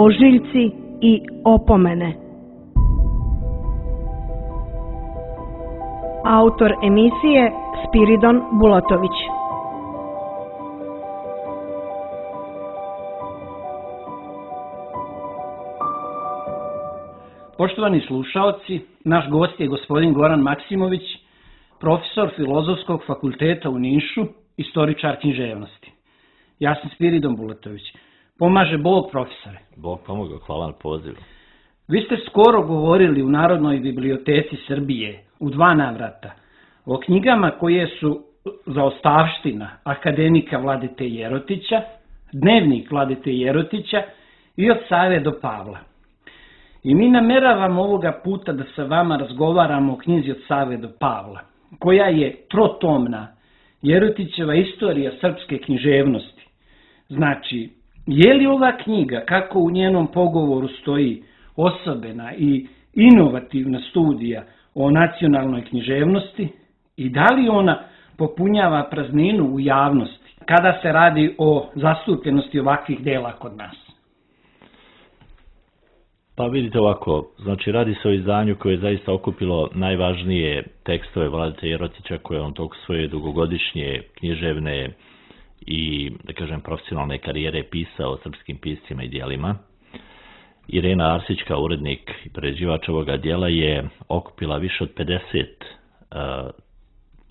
ožiljci i opomene. Autor emisije Spiridon Bulatović. Poštovani slušaoci, naš gost je gospodin Goran Maksimović, profesor Filozofskog fakulteta u Nišu, istoričar književnosti. Ja sam Spiridon Bulatović. Pomaže Bog, profesore. Bog pomogao, hvala na pozivu. Vi ste skoro govorili u Narodnoj biblioteci Srbije u 2 navrata o knjigama koje su zaostavština akademika Vladete Jerotića, Dnevnik Vladete Jerotića i Od Save do Pavla. I mi nameravamo ovoga puta da sa vama razgovaramo o knjizi Od Save do Pavla, koja je trotomna Jerotićeva istorija srpske književnosti. Znači, je li ova knjiga, kako u njenom pogovoru stoji, osobena i inovativna studija o nacionalnoj književnosti i da li ona popunjava prazninu u javnosti kada se radi o zastupljenosti ovakvih dela kod nas? Pa vidite ovako, znači radi se o izdanju koje je zaista okupilo najvažnije tekstove Vladete Jerotića koje on tog svoje dugogodišnje književne i, da kažem, profesionalne karijere pisao o srpskim piscima i djelima. Irena Arsić, kao urednik i prerađivač ovoga djela, je okupila više od 50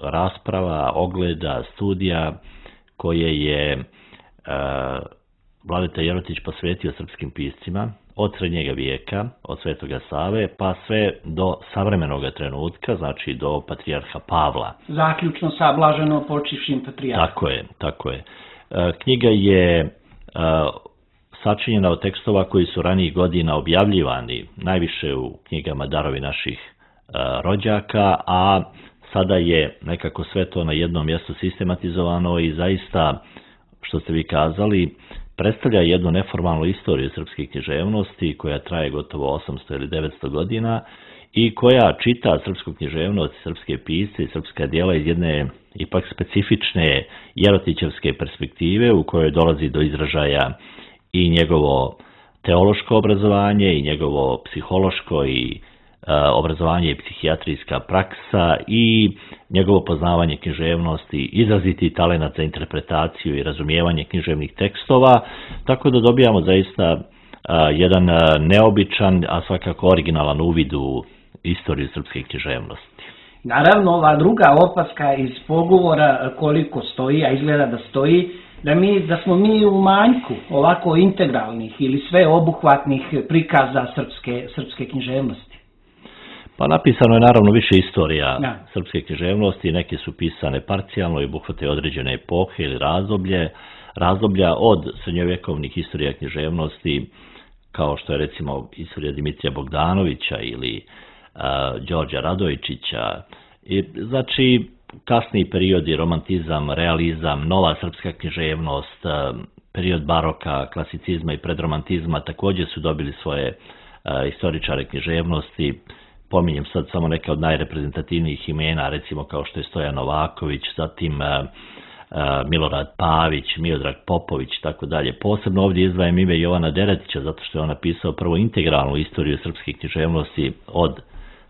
rasprava, ogleda, studija koje je Vladeta Jerotić posvetio srpskim piscima od srednjega vijeka, od Svetoga Save, pa sve do savremenog trenutka, znači do patrijarha Pavla. Zaključno sa blaženo počivšim patrijarhom. Tako je. Knjiga je sačinjena od tekstova koji su ranijih godina objavljivani, najviše u knjigama Darovi naših rođaka, a sada je nekako sve to na jednom mjestu sistematizovano i zaista, što ste vi kazali, predstavlja jednu neformalnu istoriju srpske književnosti koja traje gotovo 800 ili 900 godina i koja čita srpsku književnost, srpske pisce i srpska djela iz jedne ipak specifične jerotićevske perspektive u kojoj dolazi do izražaja i njegovo teološko obrazovanje i njegovo psihološko i obrazovanje i psihijatrijska praksa i njegovo poznavanje književnosti, izraziti talenat za interpretaciju i razumijevanje književnih tekstova, tako da dobijamo zaista jedan neobičan, a svakako originalan uvid u istoriju srpske književnosti. Naravno, ova druga opaska iz pogovora koliko stoji, a izgleda da stoji, da smo mi u manjku ovako integralnih ili sveobuhvatnih prikaza srpske književnosti. Pa napisano je naravno više istorija srpske književnosti, neke su pisane parcijalno i obuhvate određene epohe ili razdoblja od srednjovjekovnih istorija književnosti, kao što je recimo istorija Dimitrija Bogdanovića ili Đorđa Radojičića. Znači, kasniji periodi, romantizam, realizam, nova srpska književnost, period baroka, klasicizma i predromantizma također su dobili svoje istoričare književnosti. Pominjem sad samo neke od najreprezentativnijih imena, recimo kao što je Stojan Novaković, zatim Milorad Pavić, Miodrag Popović, tako dalje. Posebno ovdje izdvajam ime Jovana Deretića, zato što je on napisao prvo integralnu istoriju srpske književnosti od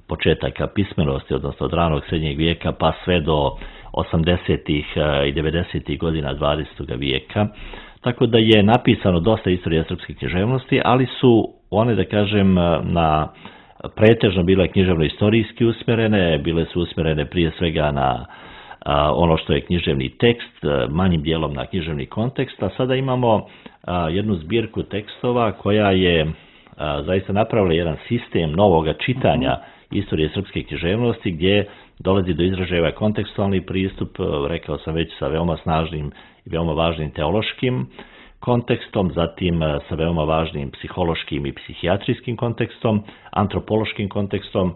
početaka pismenosti, odnosno od ranog srednjeg vijeka, pa sve do 80. i 90. godina 20. vijeka. Tako da je napisano dosta istorija srpske književnosti, ali su one, da kažem, pretežno bile književno-istorijski usmjerene, bile su usmjerene prije svega na ono što je književni tekst, manjim dijelom na književni kontekst, a sada imamo jednu zbirku tekstova koja je zaista napravila jedan sistem novoga čitanja istorije srpske književnosti gdje dolazi do izražaja kontekstualni pristup, rekao sam već, sa veoma snažnim i veoma važnim teološkim kontekstom, zatim sa veoma važnim psihološkim i psihijatrijskim kontekstom, antropološkim kontekstom,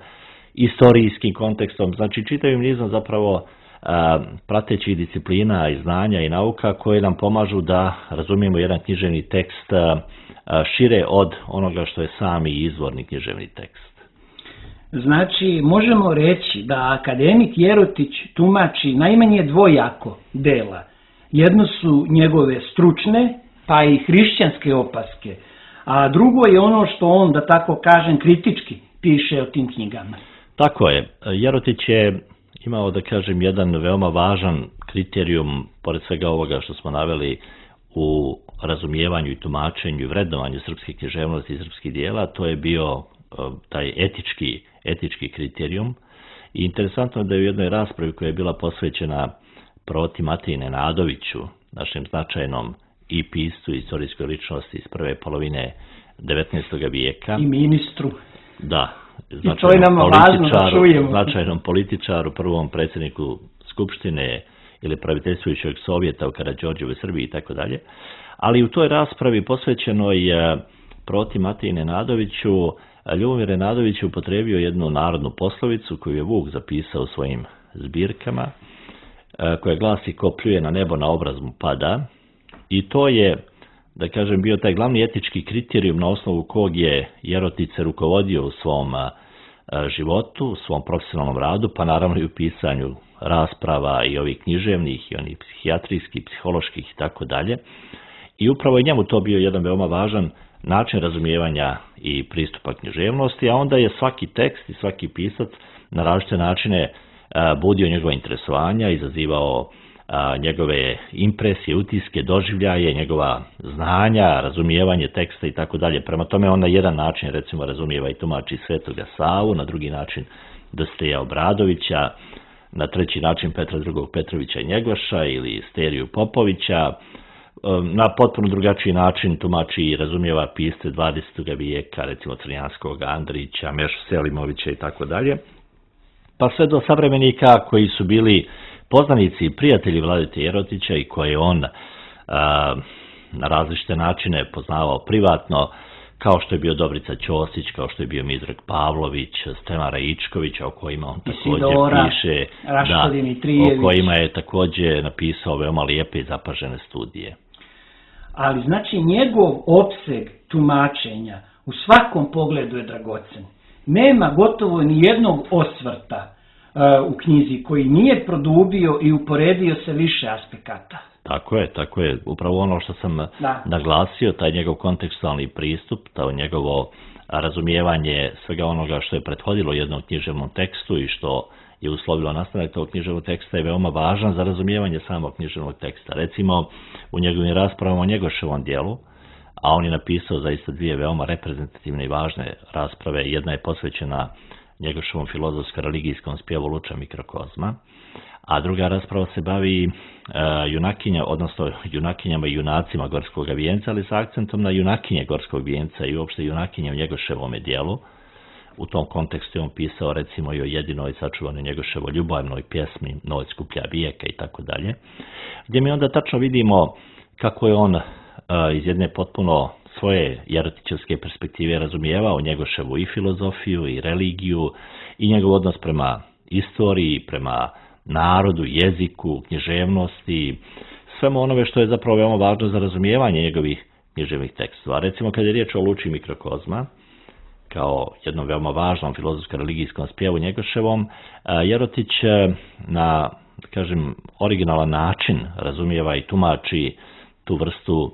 istorijskim kontekstom, znači čitavim nizom zapravo pratećih disciplina i znanja i nauka koje nam pomažu da razumijemo jedan književni tekst šire od onoga što je sami izvorni književni tekst. Znači, možemo reći da akademik Jerotić tumači najmanje dvojako dela. Jedno su njegove stručne, pa i hrišćanske opaske, a drugo je ono što on, da tako kažem, kritički piše o tim knjigama. Tako je. Jerotić je imao, da kažem, jedan veoma važan kriterijum, pored svega ovoga što smo naveli u razumijevanju i tumačenju i vrednovanju srpske književnosti i srpskih dijela, to je bio taj etički kriterijum. I interesantno je da je u jednoj raspravi koja je bila posvećena Proti Matiji Nenadoviću, našem značajnom i piscu i istorijskoj ličnosti iz prve polovine 19. vijeka. I ministru. Da, značajnom političaru, prvom predsjedniku Skupštine ili praviteljstvujućeg Sovjeta u Karađorđevoj Srbiji i tako dalje. Ali u toj raspravi posvećenoj Proti Matiji Nenadoviću, Ljubomir Nenadović je upotrijebio jednu narodnu poslovicu koju je Vuk zapisao u svojim zbirkama, koja glasi: ko pljuje na nebo na obraz mu pada. I to je, da kažem, bio taj glavni etički kriterijum na osnovu kog je Jerotić se rukovodio u svom životu, u svom profesionalnom radu, pa naravno i u pisanju rasprava i ovih književnih i onih psihijatrijskih, psiholoških i tako dalje. I upravo je njemu to bio jedan veoma važan način razumijevanja i pristupa književnosti, a onda je svaki tekst i svaki pisac na različite načine budio njegova interesovanja, izazivao njegove impresije, utiske, doživljaje, njegova znanja, razumijevanje teksta i tako dalje. Prema tome on na jedan način recimo razumijeva i tumači Svetoga Savu, na drugi način Dositeja Obradovića, na treći način Petra II. Petrovića i Njegoša ili Steriju Popovića, na potpuno drugačiji način tumači i razumijeva pisce 20. vijeka, recimo Crnjanskog, Andrića, Mešu Selimovića i tako dalje, pa sve do savremenika koji su bili poznanici i prijatelji Vladete Jerotića i koje on na različite načine poznavao privatno, kao što je bio Dobrica Ćosić, kao što je bio Mizrak Pavlović, Stevan Raičković, o kojima on također piše, o kojima je također napisao veoma lijepe i zapažene studije. Ali znači njegov opseg tumačenja u svakom pogledu je dragocen. Nema gotovo ni jednog osvrta u knjizi koji nije produbio i uporedio se više aspekata. Tako je. Upravo ono što sam naglasio, taj njegov kontekstualni pristup, to njegovo razumijevanje svega onoga što je prethodilo jednom književnom tekstu i što je uslovilo nastanak tog književnog teksta je veoma važan za razumijevanje samog književnog teksta. Recimo, u njegovim raspravama o Njegoševom dijelu, a on je napisao zaista dvije veoma reprezentativne i važne rasprave. Jedna je posvećena Njegoševom filozofsko-religijskom spjevu Luča Mikrokozma, a druga rasprava se bavi junakinjama i junacima Gorskog vijenca, ali sa akcentom na junakinje Gorskog vijenca i uopšte junakinje u Njegoševome dijelu. U tom kontekstu je on pisao recimo i o jedinoj sačuvanoj Njegoševoj ljubavnoj pjesmi Noć skuplja vijeka i tako dalje, gdje mi onda tačno vidimo kako je on iz jedne potpuno svoje jerotićevske perspektive razumijevao Njegoševu i filozofiju i religiju i njegov odnos prema istoriji, prema narodu, jeziku, književnosti, svemu onome što je zapravo veoma važno za razumijevanje njegovih književnih tekstova. Recimo kad je riječ o Luči Mikrokozma, kao jednom veoma važnom filozofsko-religijskom spjevu Njegoševom, Jerotić na, kažem, originalan način razumijeva i tumači tu vrstu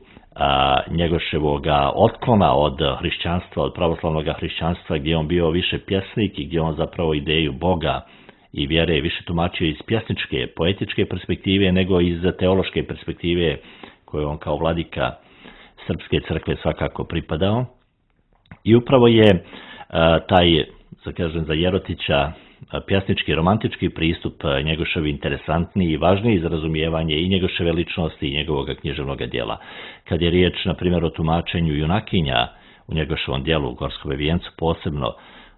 Njegoševoga otklona od hrišćanstva, od pravoslavnog hrišćanstva, gdje on bio više pjesnik i gdje on zapravo ideju Boga i vjere više tumačio iz pjesničke, poetičke perspektive nego iz teološke perspektive koje on kao vladika Srpske crkve svakako pripadao. I upravo je taj, za Jerotića, pjesnički, romantički pristup Njegoševi interesantniji i važniji za razumijevanje i Njegoševe ličnosti i njegovog književnog djela. Kad je riječ, na primjer, o tumačenju junakinja u Njegoševom djelu u Gorskom vijencu posebno,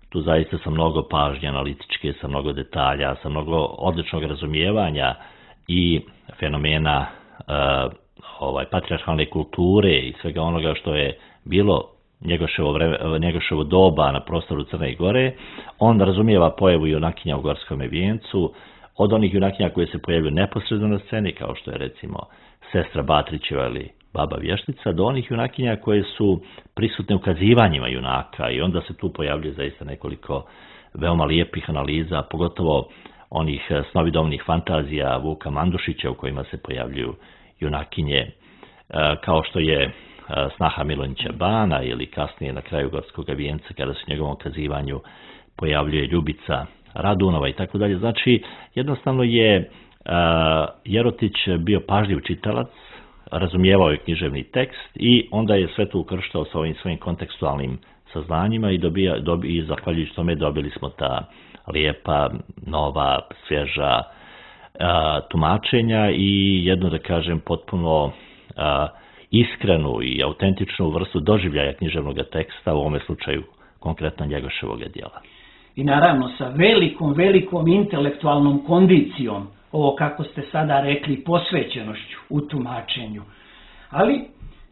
tu zaista sa mnogo pažnje analitičke, sa mnogo detalja, sa mnogo odličnog razumijevanja i fenomena patrijarhalne kulture i svega onoga što je bilo Njegoševo doba na prostoru Crne Gore, on razumijeva pojavu junakinja u Gorskom vijencu, od onih junakinja koje se pojavljuju neposredno na sceni, kao što je recimo sestra Batrićeva ili baba Vještica, do onih junakinja koje su prisutne u kazivanjima junaka i onda se tu pojavljuje zaista nekoliko veoma lijepih analiza, pogotovo onih snovidobnih fantazija Vuka Mandušića u kojima se pojavljuju junakinje, kao što je snaha Milonića Bana ili kasnije na kraju Gorskog vijenca kada se u njegovom kazivanju pojavljuje Ljubica Radunova i tako dalje. Znači, jednostavno je Jerotić bio pažljiv čitalac, razumijevao je književni tekst i onda je sve to ukrštao sa ovim svojim kontekstualnim saznanjima i zahvaljujući tome dobili smo ta lijepa, nova, svježa tumačenja i jednu, da kažem, potpuno iskrenu i autentičnu vrstu doživljaja književnog teksta, u ovome slučaju konkretno Njegoševog djela. I naravno sa velikom intelektualnom kondicijom, ovo kako ste sada rekli, posvećenošću u tumačenju. Ali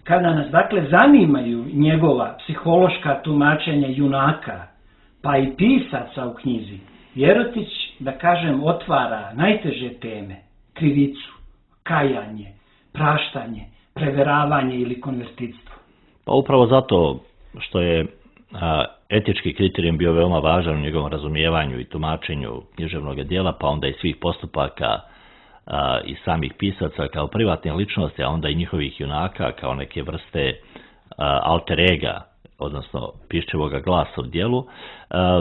kada nas dakle zanimaju njegova psihološka tumačenja junaka, pa i pisaca u knjizi, Jerotić, da kažem, otvara najteže teme, krivicu, kajanje, praštanje, preveravanje ili konvertitstvo. Pa upravo zato što je etički kriterijum bio veoma važan u njegovom razumijevanju i tumačenju književnog djela, pa onda i svih postupaka i samih pisaca kao privatnih ličnosti, a onda i njihovih junaka kao neke vrste alter ega, odnosno pišćevoga glasa u djelu,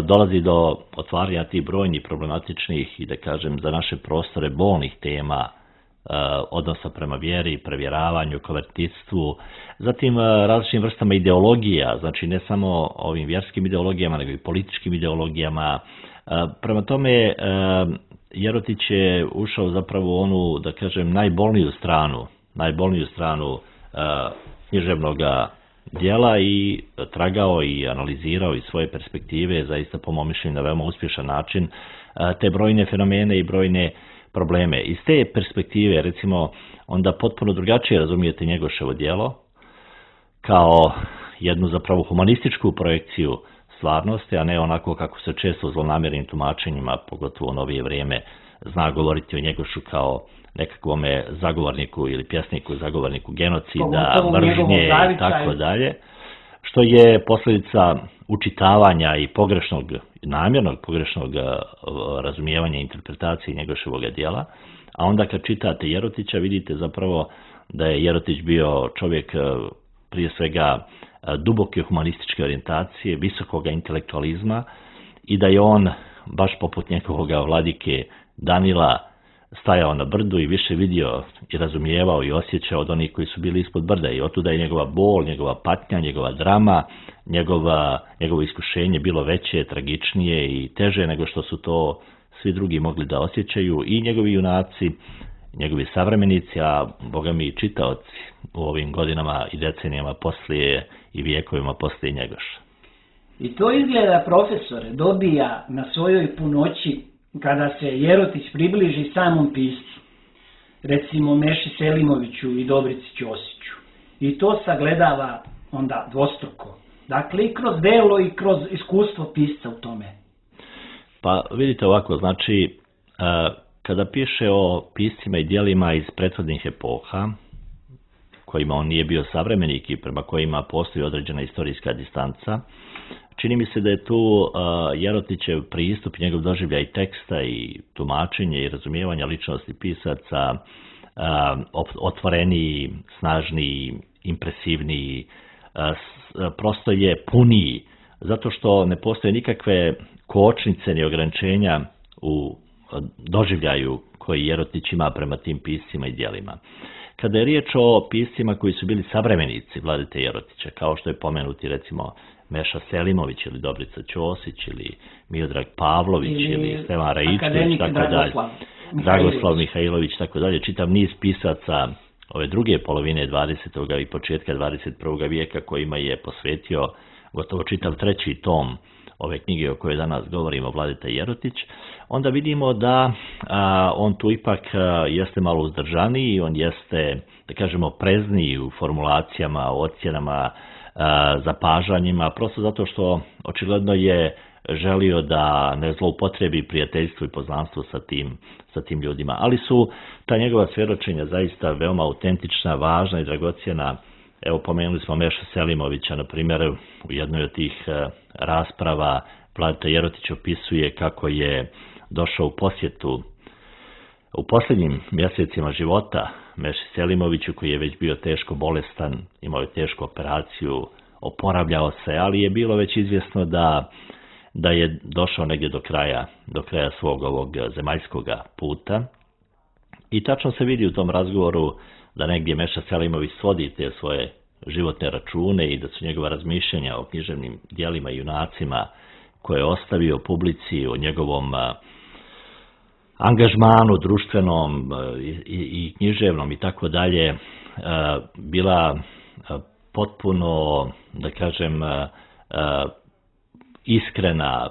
dolazi do otvaranja tih brojnih problematičnih i, da kažem, za naše prostore bolnih tema, odnosa prema vjeri, prevjeravanju, konvertitstvu, zatim različitim vrstama ideologija, znači ne samo ovim vjerskim ideologijama, nego i političkim ideologijama. Prema tome, Jerotić je ušao zapravo u onu, da kažem, najbolniju stranu književnog djela i tragao i analizirao iz svoje perspektive, zaista po mom mišljenju na veoma uspješan način, te brojne fenomene i brojne probleme. Iz te perspektive, recimo, onda potpuno drugačije razumijete Njegoševo djelo kao jednu zapravo humanističku projekciju stvarnosti, a ne onako kako se često u zlonamjernim tumačenjima, pogotovo u novije vrijeme, zna govoriti o Njegošu kao nekakvome zagovorniku ili pjesniku, zagovorniku genocida, mržnje i tako dalje, što je posljedica učitavanja i namjernog pogrešnog razumijevanja i interpretacije Njegoševog djela, a onda kad čitate Jerotića vidite zapravo da je Jerotić bio čovjek prije svega duboke humanističke orijentacije, visokoga intelektualizma i da je on, baš poput njegovog vladike Danila, stajao na brdu i više vidio i razumijevao i osjećao od onih koji su bili ispod brda i otuda je njegova bol, njegova patnja, njegova drama, njegovo iskušenje bilo veće, tragičnije i teže nego što su to svi drugi mogli da osjećaju i njegovi junaci, njegovi savremenici, a boga mi i čitaoci u ovim godinama i decenijama poslije i vijekovima poslije Njegoša. I to izgleda, profesore, dobija na svojoj punoći kada se Jerotić približi samom piscu, recimo Meši Selimoviću i Dobrici Ćosiću. I to sagledava onda dvostruko. Dakle, i kroz delo i kroz iskustvo pisca u tome. Pa vidite ovako, znači, kada piše o piscima i djelima iz prethodnih epoha, kojima on nije bio savremenik i prema kojima postoji određena istorijska distanca, čini mi se da je tu Jerotićev pristup, njegov doživljaj teksta i tumačenje i razumijevanja ličnosti pisaca otvoreniji, snažniji, impresivniji, prosto je puniji, zato što ne postoje nikakve kočnice ni ograničenja u doživljaju koji Jerotić ima prema tim piscima i djelima. Kada je riječ o piscima koji su bili savremenici Vladete Jerotića, kao što je pomenuti recimo Meša Selimović ili Dobrica Ćosić ili Miodrag Pavlović ili Stevan Raičević, tako dalje, Dragoslav Mihajlović, tako dalje, čitav niz pisaca ove druge polovine 20. i početka 21. vijeka kojima je posvetio gotovo čitav treći tom ove knjige o kojoj danas govorimo, Vladeta Jerotić, onda vidimo da on tu ipak jeste malo uzdržaniji, on jeste, da kažemo, prezniji u formulacijama, ocjenama, zapažanjima, prosto zato što očigledno je želio da ne zloupotrebi prijateljstvo i poznanstvo sa tim ljudima. Ali su ta njegova svjedočenja zaista veoma autentična, važna i dragocjena. Evo, pomenuli smo Meša Selimovića, na primjer, u jednoj od tih rasprava Vladeta Jerotić opisuje kako je došao u posjetu u posljednjim mjesecima života Meši Selimoviću, koji je već bio teško bolestan, imao je tešku operaciju, oporavljao se, ali je bilo već izvjesno da je došao negdje do kraja svog ovog zemaljskog puta. I tačno se vidi u tom razgovoru da negdje Meša Selimović svodi te svoje životne račune i da su njegova razmišljanja o književnim dijelima i junacima koje je ostavio publici, o njegovom angažmanu društvenom i književnom i tako dalje, bila potpuno, da kažem, iskrena,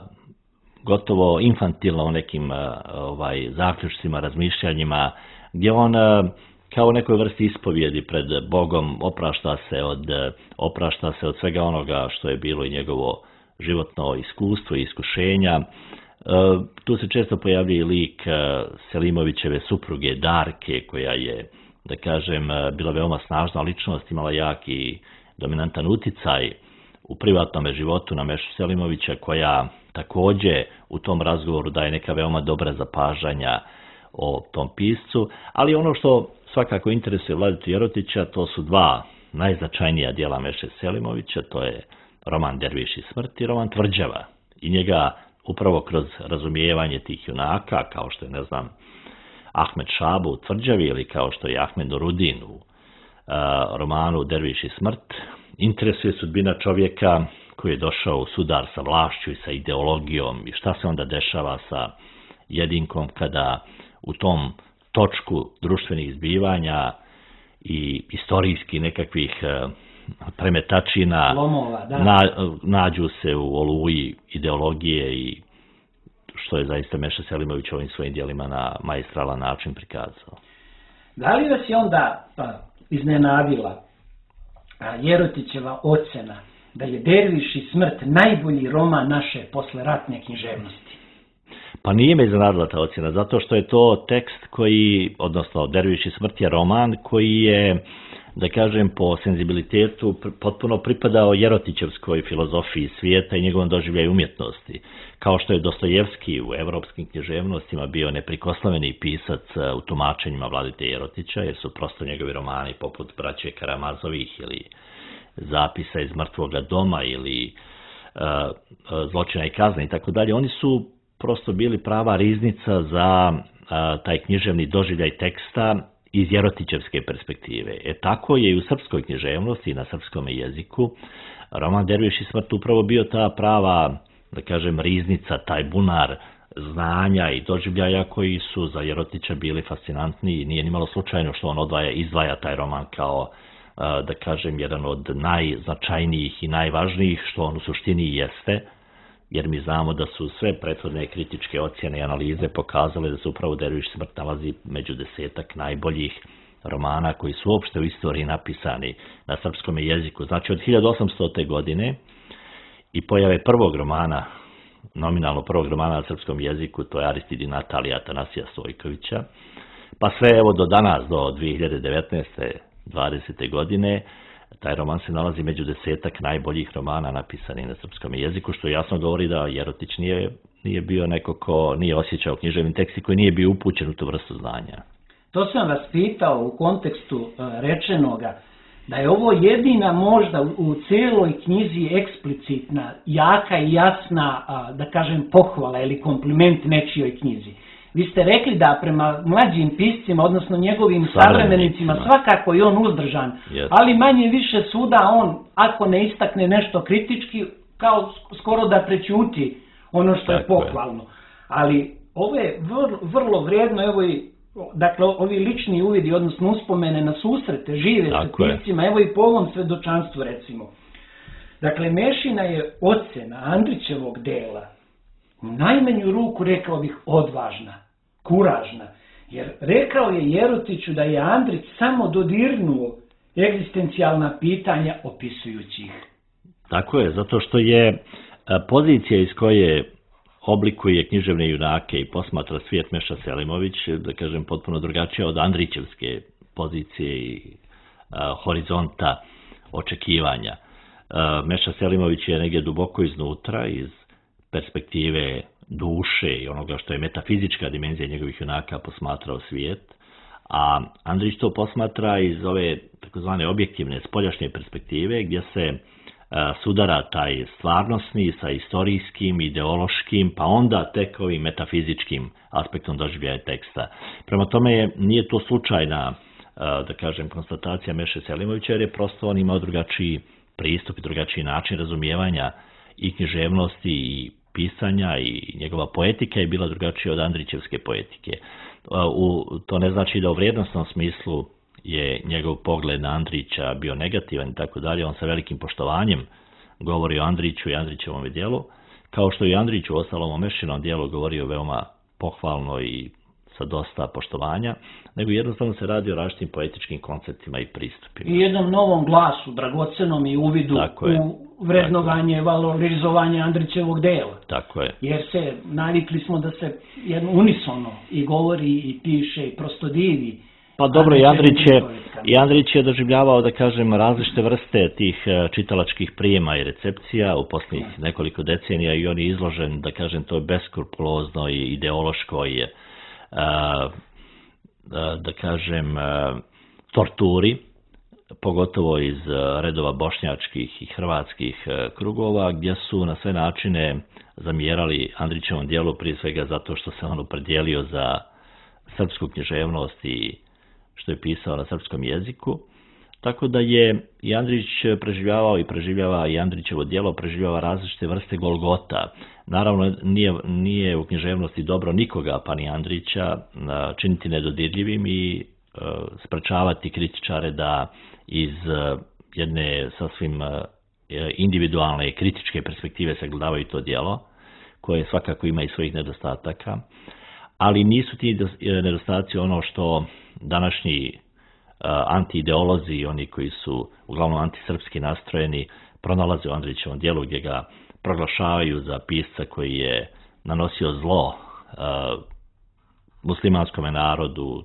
gotovo infantilna u nekim zaključcima, razmišljanjima, gdje on kao u nekoj vrsti ispovjedi pred Bogom oprašta se od svega onoga što je bilo i njegovo životno iskustvo i iskušenja. Tu se često pojavljuje lik Selimovićeve supruge Darke, koja je, da kažem, bila veoma snažna ličnost, imala jak i dominantan uticaj u privatnom životu na Mešu Selimovića, koja također u tom razgovoru daje neka veoma dobra zapažanja o tom piscu, ali ono što svakako interesuje Vladitu Jerotića, to su dva najznačajnija dijela Meše Selimovića, to je roman Derviš i smrt i roman Tvrđava. I njega upravo kroz razumijevanje tih junaka, kao što je, ne znam, Ahmed Šabu u Tvrđavi ili kao što je Ahmed Nurudin u romanu Derviš i smrt, interesuje sudbina čovjeka koji je došao u sudar sa vlašću i sa ideologijom i šta se onda dešava sa jedinkom kada u tom točku društvenih zbivanja i istorijski nekakvih premetačina lomova, nađu se u oluji ideologije i što je zaista Meša Selimović ovim svojim dijelima na maestralan način prikazao. Da li vas je onda iznenadila Jerotićeva ocena da je Derviš i smrt najbolji roman naše posleratne književnosti? Pa nije me iznenadila ta ocjena, zato što je to tekst koji, odnosno Derviš i smrt je roman koji je, da kažem, po senzibilitetu potpuno pripadao Jerotićevskoj filozofiji svijeta i njegovom doživljaju umjetnosti. Kao što je Dostojevski u evropskim književnostima bio neprikosnoveni pisac u tumačenjima Vladite Jerotića, jer su prosto njegovi romani poput Braće Karamazovih ili Zapisa iz mrtvoga doma ili Zločina i kazne i tako dalje, oni su prosto bili prava riznica za taj književni doživljaj teksta iz Jerotićevske perspektive. Tako je i u srpskoj književnosti i na srpskom jeziku roman Derviš i smrt upravo bio ta prava, da kažem, riznica, taj bunar znanja i doživljaja koji su za Jerotića bili fascinantni i nije nimalo slučajno što on izdvaja taj roman kao, da kažem, jedan od najznačajnijih i najvažnijih, što on u suštini jeste, jer mi znamo da su sve prethodne kritičke ocjene i analize pokazale da se upravo Derviš i smrt nalazi među 10 najboljih romana koji su uopšte u istoriji napisani na srpskom jeziku. Znači od 1800. godine i pojave prvog romana, nominalno prvog romana na srpskom jeziku, to je Aristid i Natalija Atanasija Stojkovića, pa sve evo do danas, do 2019. 20. godine, taj roman se nalazi među 10 najboljih romana napisanih na srpskom jeziku, što jasno govori da Jerotić nije bio neko ko nije osjećao književni tekst i koji nije bio upućen u tu vrstu znanja. To sam vas pitao u kontekstu rečenoga, da je ovo jedina možda u cijeloj knjizi eksplicitna, jaka i jasna, da kažem, pohvala ili kompliment nečijoj knjizi. Vi ste rekli da prema mlađim piscima, odnosno njegovim savremenicima, svakako je on uzdržan, ali manje više svuda on, ako ne istakne nešto kritički, kao skoro da prećuti ono što je pohvalno. Ali ovo je vrlo vrijedno, evo i, dakle, ovi lični uvidi, odnosno uspomene na susrete, žive sa piscima, evo i po ovom svedočanstvu recimo. Dakle, Mešina je ocjena Andrićevog dela u najmanju ruku, rekao bih, odvažna, kuražna, jer rekao je Jerotiću da je Andrić samo dodirnuo egzistencijalna pitanja opisujući ih. Tako je, zato što je pozicija iz koje oblikuje književne junake i posmatra svijet Meša Selimović, da kažem, potpuno drugačija od Andrićevske pozicije i horizonta očekivanja. Meša Selimović je negdje duboko iznutra, iz perspektive duše i onoga što je metafizička dimenzija njegovih junaka posmatrao svijet, A Andrić to posmatra iz ove takozvane objektivne spoljašnje perspektive gdje se sudara taj stvarnosni sa istorijskim, ideološkim, pa onda tek ovim metafizičkim aspektom doživljaja teksta. Prema tome nije to slučajna, da kažem, konstatacija Meše Selimovića, jer je prosto on imao drugačiji pristup i drugačiji način razumijevanja i književnosti i pisanja, i njegova poetika je bila drugačija od Andrićevske poetike. To ne znači da u vrijednosnom smislu je njegov pogled na Andrića bio negativan i tako dalje. On sa velikim poštovanjem govori o Andriću i Andrićevom djelu, kao što i Andrić u ostalom o Mešinom djelu govorio veoma pohvalno i sa dosta poštovanja, nego jednostavno se radi o različitim poetičkim konceptima i pristupima. I jednom novom glasu, dragocenom i uvidu u vrednovanje, valorizovanje Andrićevog dela. Tako je. Jer se navikli smo da se unisono i govori i piše i prosto divi. Pa dobro, i Andrić je doživljavao, da kažem, različite vrste tih čitalačkih prijema i recepcija u posljednjih nekoliko decenija i on je izložen, da kažem, to je beskrupulozno i ideološko je, da kažem, torturi, pogotovo iz redova bošnjačkih i hrvatskih krugova, gdje su na sve načine zamjerali Andrićevom djelu, prije svega zato što se on opredijelio za srpsku književnost i što je pisao na srpskom jeziku. Tako da je i Andrić preživljavao i preživljava i Andrićevo djelo preživljava različite vrste golgota. Naravno, nije u književnosti dobro nikoga, pa ni Andrića, činiti nedodirljivim i sprečavati kritičare da iz jedne sasvim individualne i kritičke perspektive sagledavaju to djelo, koje svakako ima i svojih nedostataka, ali nisu ti nedostaci ono što današnji anti-ideolozi i oni koji su uglavnom antisrpski nastrojeni pronalaze u Andrićevom djelu, gdje ga proglašavaju za pisca koji je nanosio zlo muslimanskom narodu,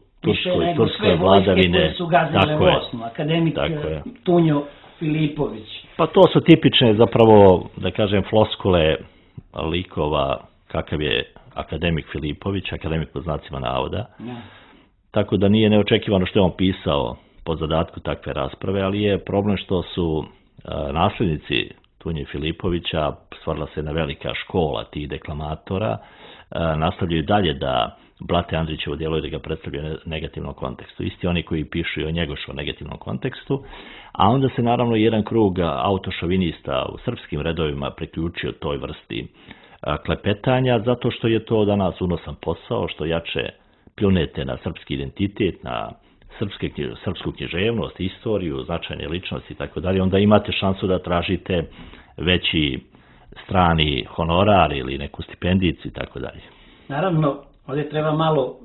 turskoj vladavine. Koje su gazile Bosnu, akademik Tunjo Filipović. Pa to su tipične, zapravo, da kažem, floskule likova kakav je akademik Filipović, akademik po znacima navoda. Tako da nije neočekivano što je on pisao po zadatku takve rasprave, ali je problem što su nasljednici Tunje Filipovića, stvarila se jedna velika škola tih deklamatora, nastavljaju dalje da blate Andrićevo djelo i da ga predstavljaju u negativnom kontekstu. Isti oni koji pišu i o Njegošu negativnom kontekstu, a onda se naravno jedan krug autošovinista u srpskim redovima priključio toj vrsti klepetanja, zato što je to danas unosan posao, što jače pljunete na srpski identitet, na srpsku književnost, istoriju, značajne ličnosti i tako dalje, onda imate šansu da tražite veći strani honorar ili neku stipendicu i tako dalje. Naravno, ovdje treba malo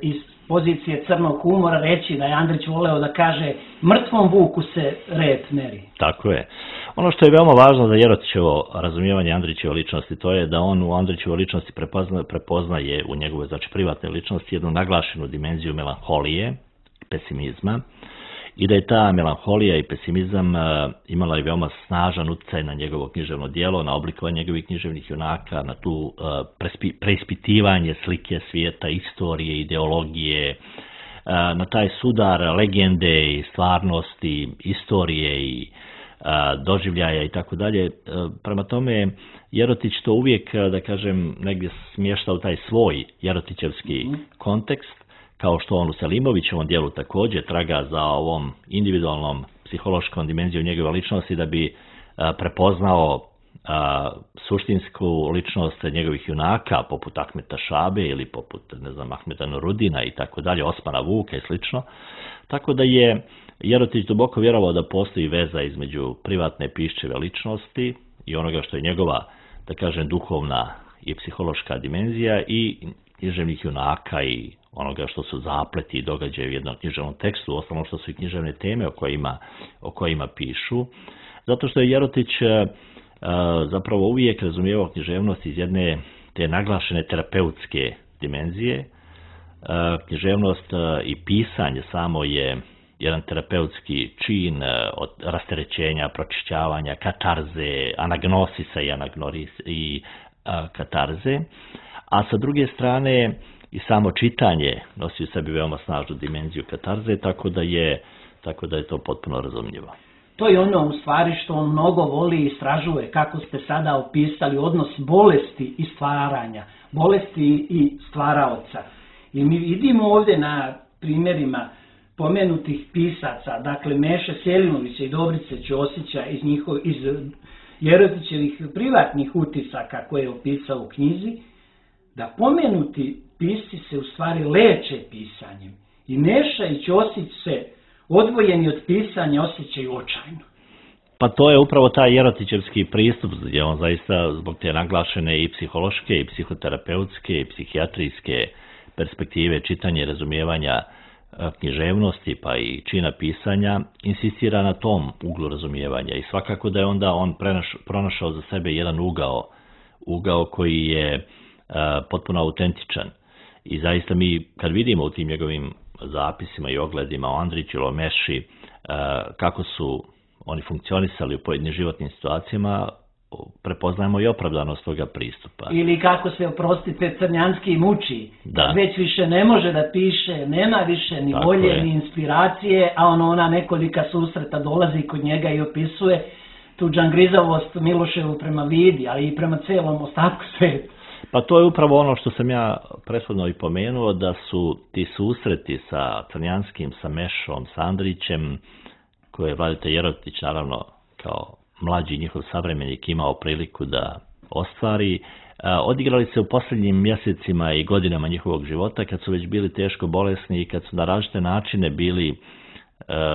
iz pozicije crnog humora reći da je Andrić voleo da kaže mrtvom vuku se rep meri. Tako je. Ono što je veoma važno za Jerotićevo razumijevanje Andrićeve ličnosti, to je da on u Andrićevoj ličnosti prepoznaje u njegove, znači, privatne ličnosti jednu naglašenu dimenziju melanholije, pesimizma, i da je ta melanholija i pesimizam imala i veoma snažan utjecaj na njegovo književno djelo, na oblikovanje njegovih književnih junaka, na tu preispitivanje slike svijeta, istorije, ideologije, na taj sudar legende i stvarnosti, istorije i doživljaja i tako dalje. Prema tome, Jerotić to uvijek, da kažem, negdje smješta u taj svoj jerotićevski kontekst, kao što on u Selimovićevom djelu također traga za ovom individualnom psihološkom dimenzijom njegove ličnosti da bi prepoznao suštinsku ličnost njegovih junaka, poput Ahmeta Šabe ili poput, ne znam, Ahmeta Nurudina i tako dalje, Osmana Vuka i slično. Tako da je Jerotić duboko vjerovao da postoji veza između privatne piščeve ličnosti i onoga što je njegova, da kažem, duhovna i psihološka dimenzija i književnih junaka i onoga što su zapleti i događaje u jednom književnom tekstu, osnovno što su i književne teme o kojima pišu. Zato što je Jerotić zapravo uvijek razumijevao književnost iz jedne te naglašene terapeutske dimenzije. Književnost i pisanje samo je jedan terapeutski čin od rasterećenja, pročišćavanja, katarze, anagnosisa i katarze. A sa druge strane, i samo čitanje nosi u sebi veoma snažnu dimenziju katarze, tako da je to potpuno razumljivo. To je ono u stvari što on mnogo voli i istražuje, kako ste sada opisali odnos bolesti i stvaranja, bolesti i stvaraoca. I mi vidimo ovdje na primjerima pomenutih pisaca, dakle Meše Selimovića i Dobrice Ćosića iz Jerotićevih privatnih utisaka koje je opisao u knjizi, da pomenuti pisci se u stvari leče pisanjem. I Meša i Ćosić se odvojeni od pisanja osjećaju očajno. Pa to je upravo taj jerotićevski pristup, gdje on zaista zbog te naglašene i psihološke, i psihoterapeutske, i psihijatrijske perspektive čitanja i razumijevanja književnosti, pa i čina pisanja, insistira na tom uglu razumijevanja. I svakako da je onda on pronašao za sebe jedan ugao koji je potpuno autentičan. I zaista mi, kad vidimo u tim njegovim zapisima i ogledima o Andriću ili o Meši, kako su oni funkcionisali u pojedinim životnim situacijama, prepoznajemo i opravdanost toga pristupa. Ili kako se, oprostite, Crnjanski muči. Već više ne može da piše, nema više ni volje, ni inspiracije, a ona nekolika susreta dolazi kod njega i opisuje tu džangrizavost Miloševu prema Vidi, ali i prema celom ostatku sveta. Pa to je upravo ono što sam ja prethodno i pomenuo, da su ti susreti sa Crnjanskim, sa Mešom, sa Andrićem, koje je Vladeta Jerotić naravno kao mlađi njihov savremenik imao priliku da ostvari, odigrali se u posljednjim mjesecima i godinama njihovog života, kad su već bili teško bolesni i kad su na različite načine bili,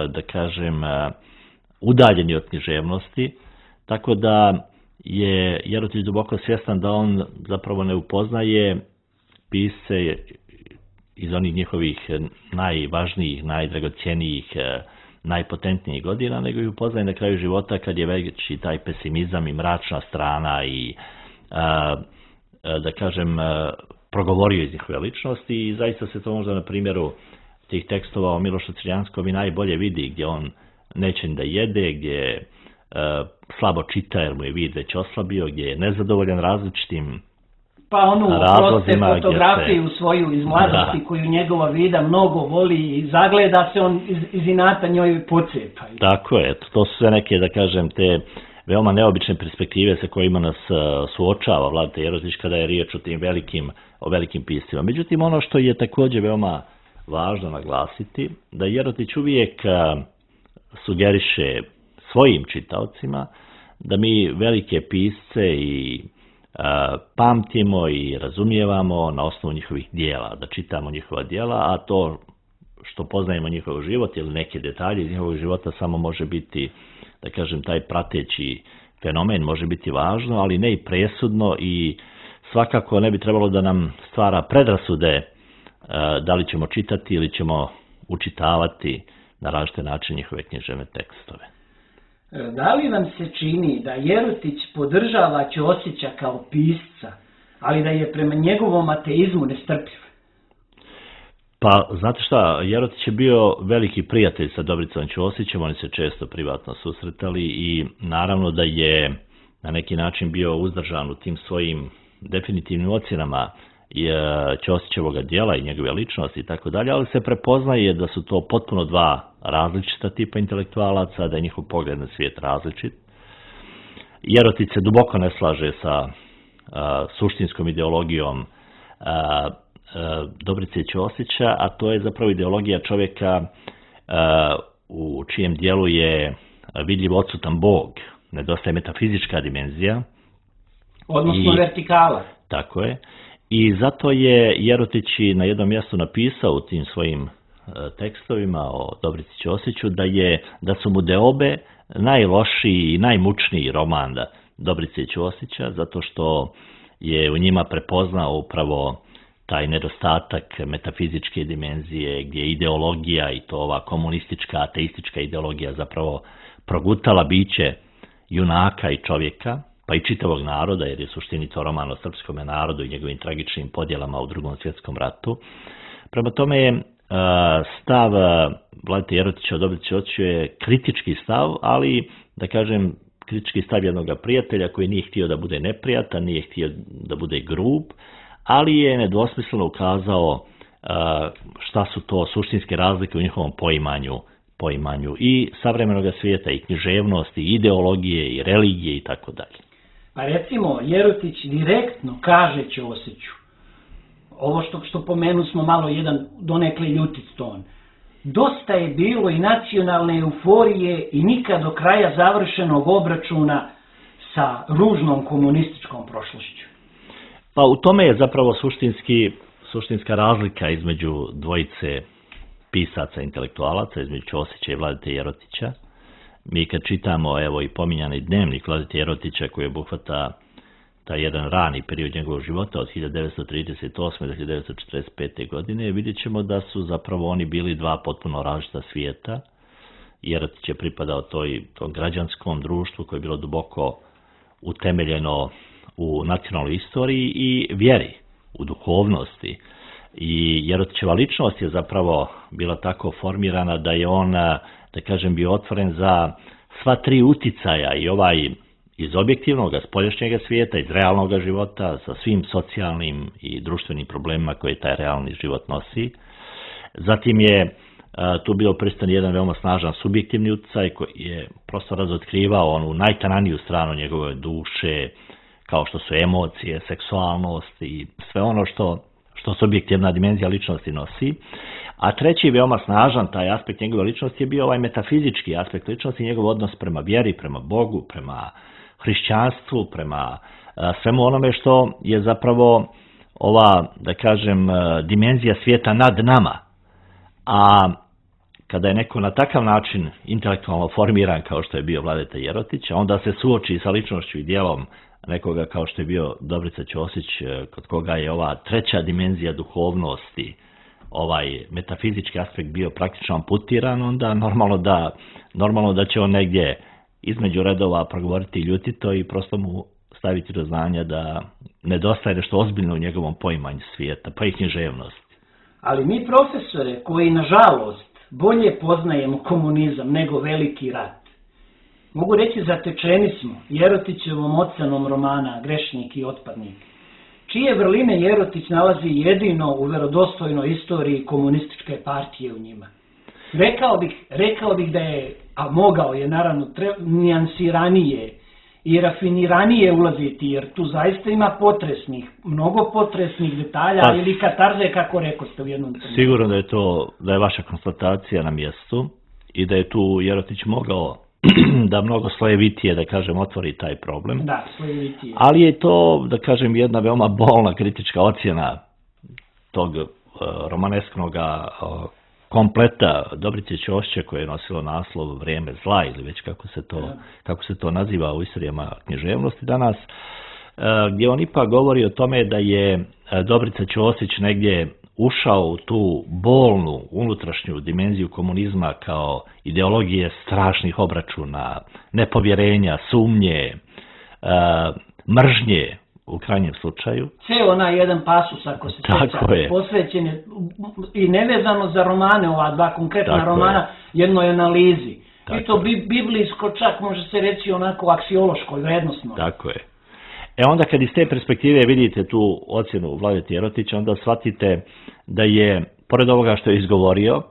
da kažem, udaljeni od književnosti, tako da je Jerotić duboko svjestan da on zapravo ne upoznaje pisce iz onih njihovih najvažnijih, najdragocjenijih, najpotentnijih godina, nego ih upoznaje na kraju života kad je već i taj pesimizam i mračna strana i, da kažem, progovorio iz njihove ličnosti i zaista se to možda na primjeru tih tekstova o Milošu Crnjanskom i najbolje vidi, gdje on neće da jede, gdje slabo čita jer mu je vid već oslabio, gdje je nezadovoljan različitim pa onu proste fotografiju svoju iz mladosti koju njegova vida mnogo voli i zagleda se, on iz inata njoj pocepa. Tako je, to su sve neke, da kažem, te veoma neobične perspektive sa kojima nas suočava Vladeta Jerotić kada je riječ o velikim piscima. Međutim, ono što je također veoma važno naglasiti, da Jerotić uvijek sugeriše svojim čitaocima da mi velike pisce i pamtimo i razumijevamo na osnovu njihovih dijela, da čitamo njihova dijela, a to što poznajemo njihov život ili neke detalje iz njihovog života samo može biti, da kažem, taj prateći fenomen može biti važno, ali ne i presudno i svakako ne bi trebalo da nam stvara predrasude da li ćemo čitati ili ćemo učitavati na različite načine njihove književne tekstove. Da li vam se čini da Jerotić podržava Ćosića kao pisca, ali da je prema njegovom ateizmu nestrpljiv? Pa, znate šta, Jerotić je bio veliki prijatelj sa Dobricom Ćosićem, oni se često privatno susretali i naravno da je na neki način bio uzdržan u tim svojim definitivnim ocjenama Ćosićevog djela i njegove ličnosti i tako dalje, ali se prepoznaje da su to potpuno dva različita tipa intelektualaca, da je njihov pogled na svijet različit. Jerotić se duboko ne slaže sa suštinskom ideologijom Dobrice Ćosića, a to je zapravo ideologija čovjeka u čijem dijelu je vidljiv odsutan Bog, nedostaje metafizička dimenzija. Odnosno vertikala. Tako je. I zato je Jerotić na jednom mjestu napisao u tim svojim tekstovima o Dobrici Ćosiću da su mu deobe najlošiji i najmučniji roman Dobrice Ćosića, zato što je u njima prepoznao upravo taj nedostatak metafizičke dimenzije, gdje je ideologija i to ova komunistička, ateistička ideologija zapravo progutala biće junaka i čovjeka, pa i čitavog naroda, jer je suštini to roman o srpskom narodu i njegovim tragičnim podjelama u Drugom svjetskom ratu. Prema tome je stav Vladete Jerotića o Dobrici Ćosiću je kritički stav, ali, da kažem, kritički stav jednog prijatelja koji nije htio da bude neprijatan, nije htio da bude grub, ali je nedvosmisleno ukazao šta su to suštinske razlike u njihovom poimanju i savremenog svijeta, i književnosti, i ideologije, i religije i tako dalje. Pa recimo, Jerotić direktno kaže Ćosiću, ovo što pomenu smo malo jedan donekle ljutit ton, dosta je bilo i nacionalne euforije i nikad do kraja završenog obračuna sa ružnom komunističkom prošlošću. Pa u tome je zapravo suštinska razlika između dvojice pisaca, intelektualaca, između Ćosića i Vladete Jerotića. Mi kad čitamo, evo i pominjani dnevnik Vladete Jerotića koji obuhvata taj jedan rani period njegovog života od 1938. do 1945. godine, vidjet ćemo da su zapravo oni bili dva potpuno različita svijeta. Jerotić je pripadao tom građanskom društvu koje je bilo duboko utemeljeno u nacionalnoj istoriji i vjeri, u duhovnosti. I Jerotićeva ličnost je zapravo bila tako formirana da je on, da kažem, bio otvoren za sva tri uticaja, i ovaj iz objektivnog, spoljašnjeg svijeta, iz realnog života, sa svim socijalnim i društvenim problemima koje taj realni život nosi. Zatim je tu bio prisutan jedan veoma snažan subjektivni utjecaj koji je prosto razotkrivao onu najtananiju stranu njegove duše, kao što su emocije, seksualnost i sve ono što subjektivna dimenzija ličnosti nosi. A treći veoma snažan taj aspekt njegove ličnosti je bio ovaj metafizički aspekt ličnosti, njegov odnos prema vjeri, prema Bogu, prema hrišćanstvu, prema svemu onome što je zapravo ova, da kažem, dimenzija svijeta nad nama. A kada je neko na takav način intelektualno formiran kao što je bio Vladeta Jerotić, onda se suoči sa ličnošću i djelom nekoga kao što je bio Dobrica Ćosić, kod koga je ova treća dimenzija duhovnosti, ovaj metafizički aspekt bio praktično amputiran, onda normalno da će on negdje između redova progovoriti ljutito i prosto mu staviti do znanja da nedostaje nešto ozbiljno u njegovom poimanju svijeta, pa i književnosti. Ali mi profesore koji nažalost bolje poznajemo komunizam nego veliki rat, mogu reći zatečeni smo Jerotićevom ocenom romana Grešnik i otpadnik, čije vrline Jerotić nalazi jedino u verodostojnoj istoriji komunističke partije u njima. Rekao bih da je, a mogao je naravno nijansiranije i rafiniranije ulaziti, jer tu zaista ima mnogo potresnih detalja ili katarze, kako rekoste u jednom trenutku. Sigurno da je vaša konstatacija na mjestu i da je tu Jerotić mogao da mnogo slojevitije, da kažem, otvori taj problem. Da, slojevitije. Ali je to, da kažem, jedna veoma bolna kritička ocjena tog romanesknog kompleta Dobrice Ćosića koje je nosilo naslov Vrijeme zla, ili već kako se to naziva u istorijama književnosti danas, gdje on ipak govori o tome da je Dobrica Ćosić negdje ušao u tu bolnu unutrašnju dimenziju komunizma kao ideologije strašnih obračuna, nepovjerenja, sumnje, mržnje u krajnjem slučaju. Ceo onaj jedan pasus, ako se sjeća, posvećen je i nevezano za romane, ova dva konkretna romana, jednoj analizi. I to biblijsko, čak može se reći onako aksiološko i vrednostno. Tako je. Onda kad iz te perspektive vidite tu ocjenu Vladete Jerotića, onda shvatite da je, pored ovoga što je izgovorio,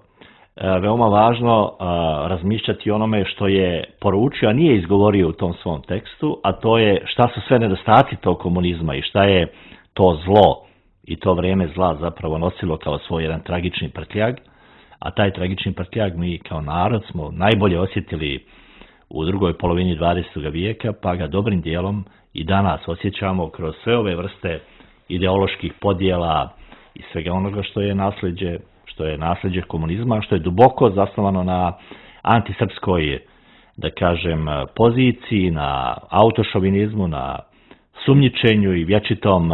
veoma važno razmišljati o onome što je poručio, a nije izgovorio u tom svom tekstu, a to je šta su sve nedostaci tog komunizma i šta je to zlo i to vrijeme zla zapravo nosilo kao svoj jedan tragični prtljag, a taj tragični prtljag mi kao narod smo najbolje osjetili u drugoj polovini 20. vijeka, pa ga dobrim dijelom i danas osjećamo kroz sve ove vrste ideoloških podjela i svega onoga što je nasljeđe komunizma, što je duboko zasnovano na antisrpskoj, da kažem, poziciji, na autošovinizmu, na sumnjičenju i vječitom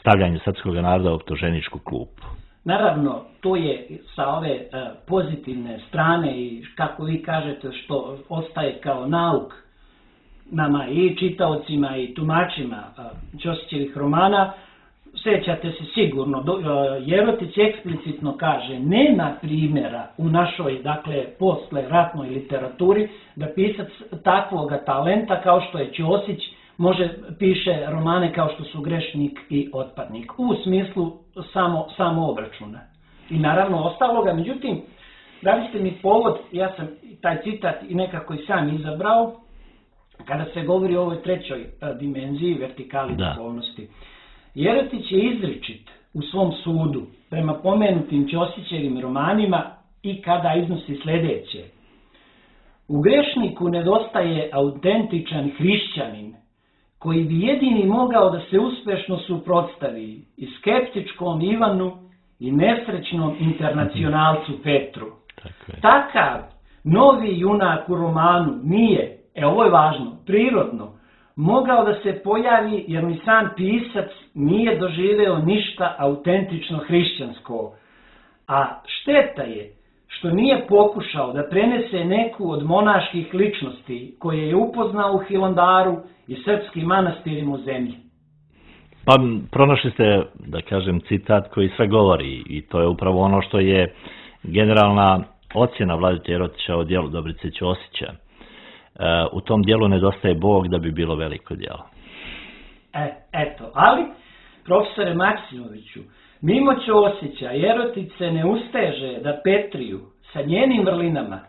stavljanju srpskog naroda u optuženičku klupu. Naravno, to je sa ove pozitivne strane i kako vi kažete što ostaje kao nauk nama i čitaocima i tumačima Ćosićevih romana. Sjećate se sigurno, Jerotić eksplicitno kaže, nema primjera u našoj, dakle, posle ratnoj literaturi da pisac takvoga talenta kao što je Ćosić piše romane kao što su Grešnik i Otpadnik, u smislu samo obračuna. I naravno ostaloga, međutim, dali ste mi povod, ja sam taj citat i nekako i sam izabrao, kada se govori o ovoj trećoj dimenziji, vertikali duhovnosti. Jerotić je izričit u svom sudu prema pomenutim Ćosićevim romanima i kada iznosi sljedeće. U Grešniku nedostaje autentičan hrišćanin koji bi jedini mogao da se uspešno suprotstavi i skeptičkom Ivanu i nesrećnom internacionalcu Petru. Takav novi junak u romanu nije, ovo je važno, prirodno, mogao da se pojavi jer ni sam pisac nije doživeo ništa autentično hrišćansko. A šteta je što nije pokušao da prenese neku od monaških ličnosti koje je upoznao u Hilandaru i srpskim manastirima u zemlji. Pa pronašli ste, da kažem, citat koji sve govori i to je upravo ono što je generalna ocjena Vladete Jerotića o djelu Dobrice Ćosića. U tom dijelu nedostaje Bog da bi bilo veliko djelo. Eto, ali, profesore Maksimoviću, mimo Ćosića Jerotić se ne usteže da Petriju sa njenim vrlinama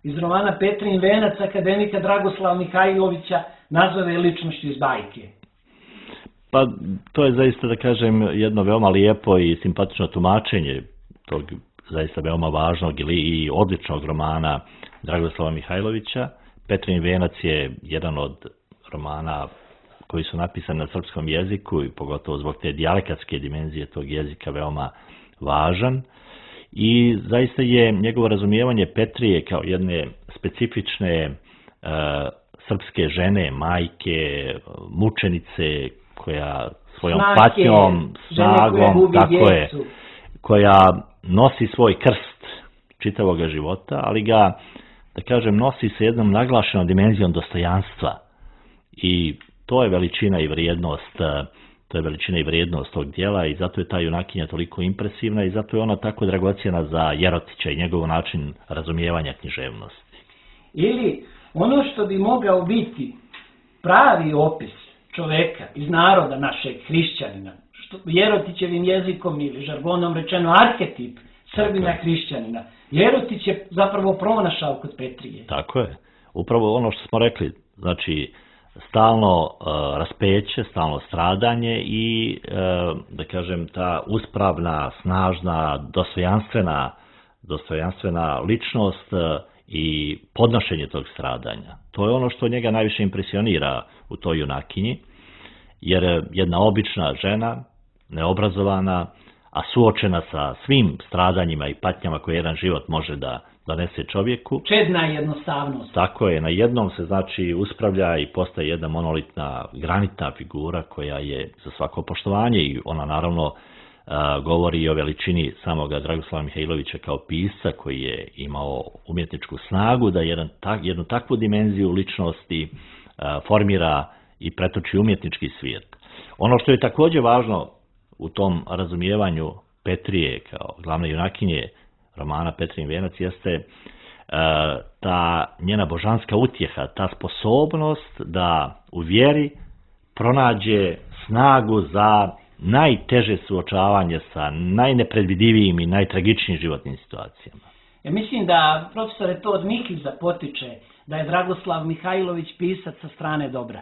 iz romana Petrin venac akademika Dragoslava Mihajlovića nazove ličnošću iz bajke. Pa to je zaista, da kažem, jedno veoma lijepo i simpatično tumačenje tog zaista veoma važnog i odličnog romana Dragoslava Mihajlovića. Petrin venac je jedan od romana koji su napisani na srpskom jeziku i pogotovo zbog te dijalekatske dimenzije tog jezika veoma važan. I zaista je njegovo razumijevanje Petrije kao jedne specifične srpske žene, majke, mučenice koja svojom patnjom, snagom, tako je, koja nosi svoj krst čitavog života, ali ga, da kažem, nosi sa jednom naglašenom dimenzijom dostojanstva. I to je veličina i vrijednost tog dijela i zato je ta junakinja toliko impresivna i zato je ona tako dragocjena za Jerotića i njegov način razumijevanja književnosti. Ili ono što bi mogao biti pravi opis čoveka iz naroda našeg hrišćanina, što Jerotićevim jezikom ili žargonom rečeno arhetip Srbina hrišćanina, Jerotić je zapravo pronašao kod Petrije. Tako je. Upravo ono što smo rekli, znači stalno raspeće, stalno stradanje i, da kažem, ta uspravna, snažna, dostojanstvena ličnost i podnošenje tog stradanja. To je ono što njega najviše impresionira u toj junakinji, jer jedna obična žena, neobrazovana, a suočena sa svim stradanjima i patnjama koje jedan život može da donese čovjeku. Čedna jednostavnost. Tako je, na jednom se znači uspravlja i postaje jedna monolitna, granitna figura koja je za svako poštovanje i ona naravno govori i o veličini samoga Dragoslava Mihajlovića kao pisca koji je imao umjetničku snagu da jednu takvu dimenziju ličnosti formira i pretoči umjetnički svijet. Ono što je također važno u tom razumijevanju Petrije kao glavne junakinje romana Petrin venac jeste ta njena božanska utjeha, ta sposobnost da u vjeri pronađe snagu za najteže suočavanje sa najnepredvidivijim i najtragičnijim životnim situacijama. Ja mislim da, profesore, to od Mihiza potiče, da je Dragoslav Mihajlović pisac sa strane dobra.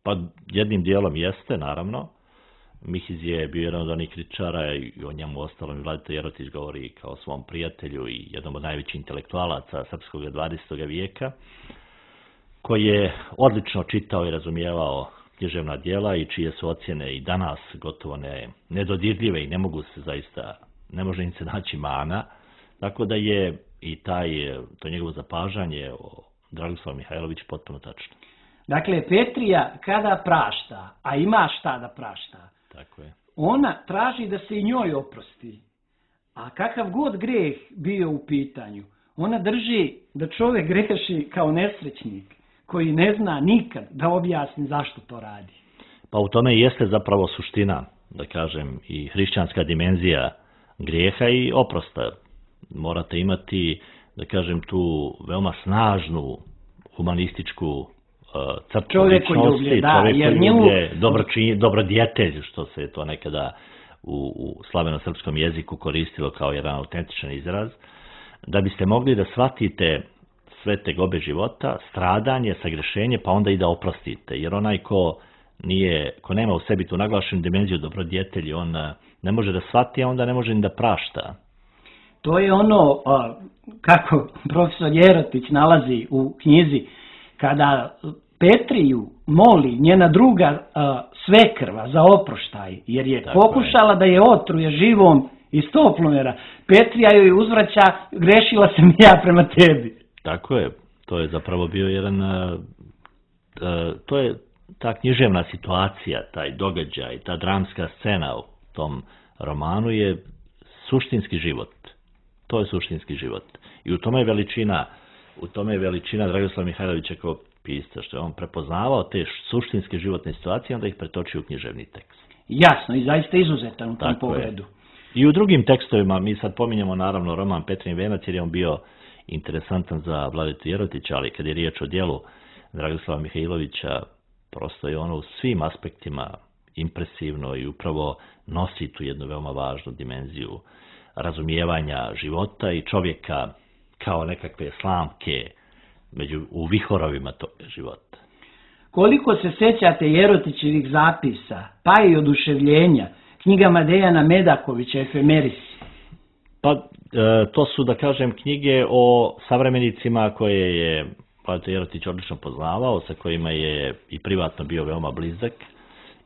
Pa jednim dijelom jeste, naravno. Mihiz je bio jedan od onih kritičara i o njemu ostalom Vladeta Jerotić govori kao svom prijatelju i jednom od najvećih intelektualaca srpskog 20. vijeka, koji je odlično čitao i razumijevao književna djela i čije su ocjene i danas gotovo nedodirljive i ne može im se naći mana. Tako da je i to njegovo zapažanje o Dragoslavu Mihajloviću potpuno tačno. Dakle, Petrija kada prašta, a ima šta da prašta, tako je, ona traži da se i njoj oprosti. A kakav god greh bio u pitanju, ona drži da čovjek greši kao nesrećnik koji ne zna nikad da objasni zašto to radi. Pa u tome jeste zapravo suština, da kažem, i hrišćanska dimenzija grijeha i oprosta. Morate imati, da kažem, tu veoma snažnu humanističku crtu ličnosti, čovjekoljublje, dobrodjetelj, što se to nekada u slaveno-srpskom jeziku koristilo kao jedan autentičan izraz, da biste mogli da shvatite sve tegobe života, stradanje, sagrešenje, pa onda i da oprostite. Jer onaj ko nema u sebi tu naglašenu dimenziju dobrodjetelji, on ne može da shvati, a onda ne može ni da prašta. To je ono kako profesor Jerotić nalazi u knjizi, kada Petriju moli njena druga svekrva za oproštaj, jer je pokušala da je otruje živom iz toplomera. Petrija joj uzvraća, grešila sam ja prema tebi. Tako je, to je zapravo bio jedan, to je ta književna situacija, taj događaj, ta dramska scena u tom romanu je suštinski život. To je suštinski život. I u tome je veličina Dragoslava Mihajlovića kao pisca, što je on prepoznavao te suštinske životne situacije, onda ih pretočio u književni tekst. Jasno, i zaista izuzetan u tom pogledu. I u drugim tekstovima, mi sad pominjemo naravno roman Petrin venac, jer je on bio interesantan za Vladetu Jerotića, ali kad je riječ o djelu Dragoslava Mihajlovića, prosto je ono u svim aspektima impresivno i upravo nosi tu jednu veoma važnu dimenziju razumijevanja života i čovjeka kao nekakve slamke u vihorovima tog života. Koliko se sjećate Jerotićevih zapisa, pa i oduševljenja, knjigama Dejana Medakovića, Efemerisi? Pa to su, da kažem, knjige o savremenicima koje je Vladeta Jerotić odlično poznavao, sa kojima je i privatno bio veoma blizak.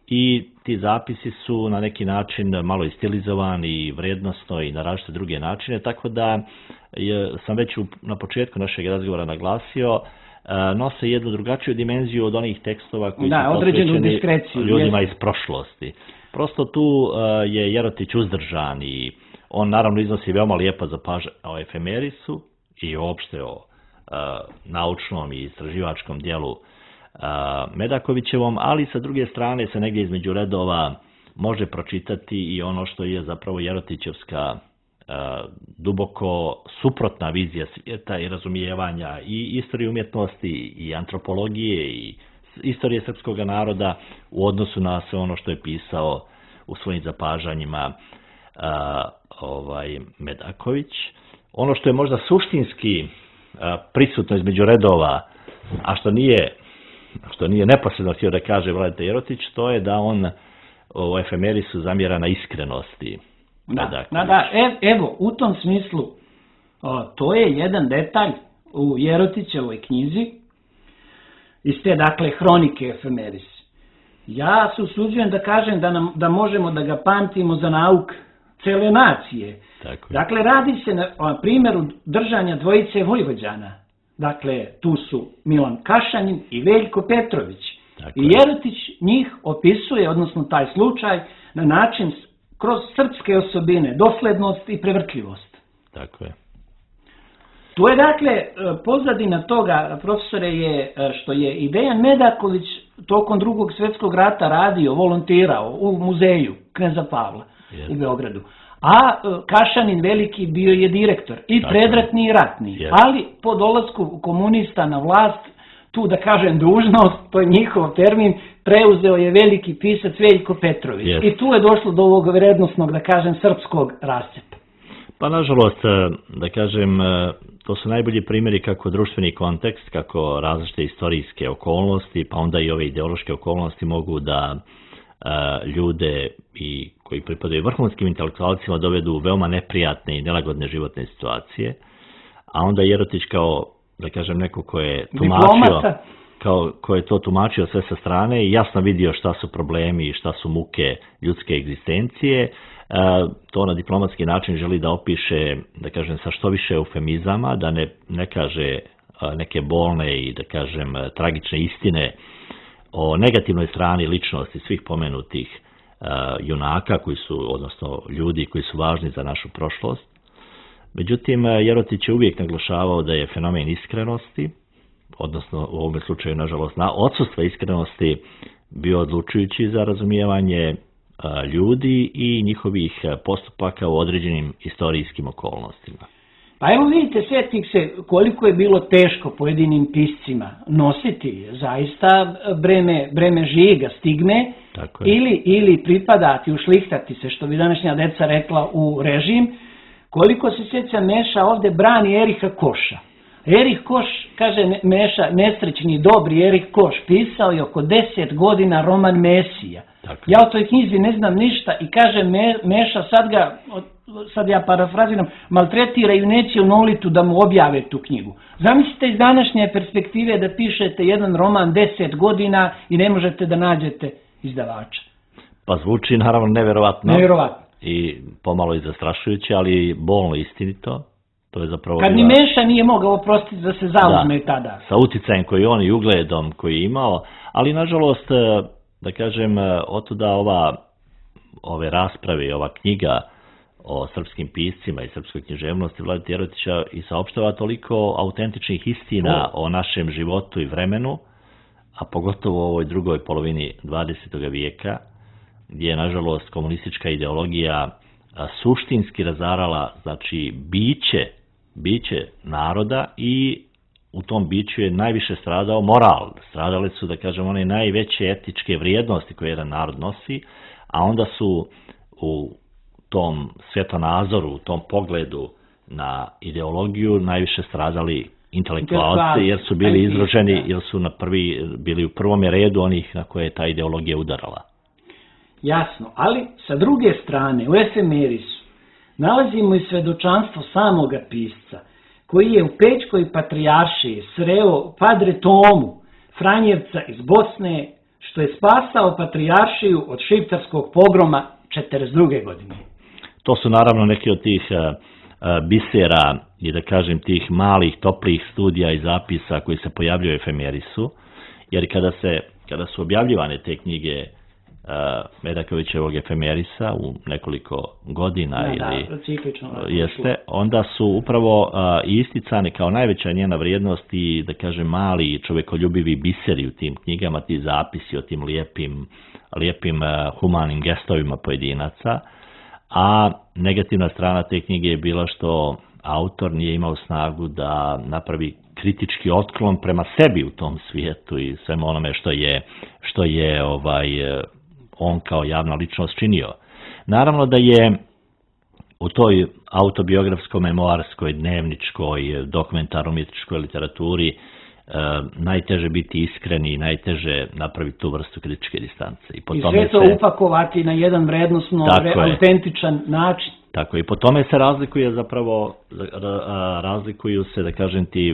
I ti zapisi su na neki način malo istilizovani i vrednosno i na različite druge načine, tako da sam već na početku našeg razgovora naglasio, nose jednu drugačiju dimenziju od onih tekstova koji su posvećeni ljudima iz prošlosti. Prosto tu je Jerotić uzdržan i on naravno iznosi veoma lijepa zapažanja o efemerisu i uopšte o naučnom i istraživačkom dijelu Medakovićevom, ali sa druge strane se negdje između redova može pročitati i ono što je zapravo Jerotićevska duboko suprotna vizija svijeta i razumijevanja i istorije umjetnosti i antropologije i istorije srpskog naroda u odnosu na sve ono što je pisao u svojim zapažanjima Medaković. Ono što je možda suštinski prisutno između redova, a što nije neposredno htio da kaže Vladeta Jerotić, to je da on u efemerisu zamjera na iskrenosti. Evo, u tom smislu, to je jedan detalj u Jerotićevoj knjizi, iz te, dakle, hronike efemerisi. Ja se usuđujem da kažem da možemo da ga pamtimo za nauk cele nacije. Dakle, radi se na primjeru držanja dvojice Vojvođana. Dakle, tu su Milan Kašanin i Veljko Petrović. I Jerotić njih opisuje, odnosno taj slučaj, na način kroz srpske osobine, doslednost i prevrtljivost. Tako je. Tu je, dakle, pozadina toga, profesore, je što je i Dejan Medaković tokom Drugog svjetskog rata radio, volontirao u muzeju Kneza Pavla u Beogradu. A Kašanin veliki bio je direktor, i predratni i ratni, ali po dolasku komunista na vlast, tu da kažem dužnost, to je njihov termin, preuzeo je veliki pisac Veljko Petrović. I tu je došlo do ovog vrednosnog, da kažem, srpskog rascepa. Pa nažalost, da kažem, to su najbolji primjeri kako društveni kontekst, kako različite istorijske okolnosti, pa onda i ove ideološke okolnosti mogu da ljude koji pripadaju vrhunskim intelektualcima dovedu u veoma neprijatne i nelagodne životne situacije, a onda Jerotić kao, da kažem, neko ko je tumačio, ko je to tumačio sve sa strane i jasno vidio šta su problemi i šta su muke ljudske egzistencije, to na diplomatski način želi da opiše, da kažem, sa što više eufemizama, da ne kaže neke bolne i, da kažem, tragične istine o negativnoj strani ličnosti svih pomenutih junaka odnosno ljudi koji su važni za našu prošlost. Međutim, Jerotić je uvijek naglašavao da je fenomen iskrenosti, odnosno u ovom slučaju, nažalost, odsustva iskrenosti bio odlučujući za razumijevanje ljudi i njihovih postupaka u određenim istorijskim okolnostima. Pa evo vidite, sjetih se koliko je bilo teško pojedinim piscima nositi zaista breme žiga, stigme, ili pripadati, ušlihtati se, što bi današnja deca rekla, u režim. Koliko se sjeća Meša ovdje brani Eriha Koša. Erih Koš, kaže Meša, nesrećni, dobri Erih Koš, pisao je oko 10 godina roman Mesija. Ja o toj knjizi ne znam ništa i kaže Meša, sad ja parafraziram, maltretiraju, neće u Nolitu da mu objave tu knjigu. Zamislite iz današnje perspektive da pišete jedan roman 10 godina i ne možete da nađete izdavača. Pa zvuči naravno neverovatno. Neverovatno. I pomalo i zastrašujuće, ali bolno istinito. To je zapravo kad ni Meša nije mogao oprostiti da se zauzme tada. Sa uticajem koji on i ugledom koji je imao, ali nažalost, da kažem, otuda ove rasprave i ova knjiga o srpskim piscima i srpskoj književnosti Vladete Jerotića i saopštava toliko autentičnih istina o našem životu i vremenu, a pogotovo u ovoj drugoj polovini 20. vijeka, gdje je nažalost komunistička ideologija suštinski razarala, znači, biće naroda i u tom biću je najviše stradao moral. Stradale su, da kažem, one najveće etičke vrijednosti koje jedan narod nosi, a onda su u tom svjetonazoru, u tom pogledu na ideologiju najviše stradali intelektualci, jer su bili izloženi, jer su bili u prvom redu onih na koje je ta ideologija udarala. Jasno, ali sa druge strane u Efemerisu nalazimo i svedočanstvo samoga pisca, koji je u Pećkoj patrijaršiji sreo Padre Tomu, Franjevca iz Bosne, što je spasao patrijaršiju od šiptarskog pogroma 1942. godine. To su naravno neki od tih bisera i, da kažem, tih malih, toplih studija i zapisa koji se pojavljaju u Efemerisu, jer kada su objavljivane te knjige Medakovićevog Efemerisa u nekoliko godina, onda su upravo isticane kao najveća njena vrijednost i, da kažem, mali čovekoljubivi biseri u tim knjigama, ti zapisi o tim lijepim humanim gestovima pojedinaca, a negativna strana te knjige je bila što autor nije imao snagu da napravi kritički otklon prema sebi u tom svijetu i svemu onome što je on kao javna ličnost činio. Naravno da je u toj autobiografsko-memoarskoj, dnevničkoj, dokumentarno-umjetničkoj literaturi najteže biti iskreni i najteže napraviti tu vrstu kritičke distance. I sve to upakovati na jedan vrednosno, autentičan način. Tako, i po tome se razlikuju se, da kažem ti,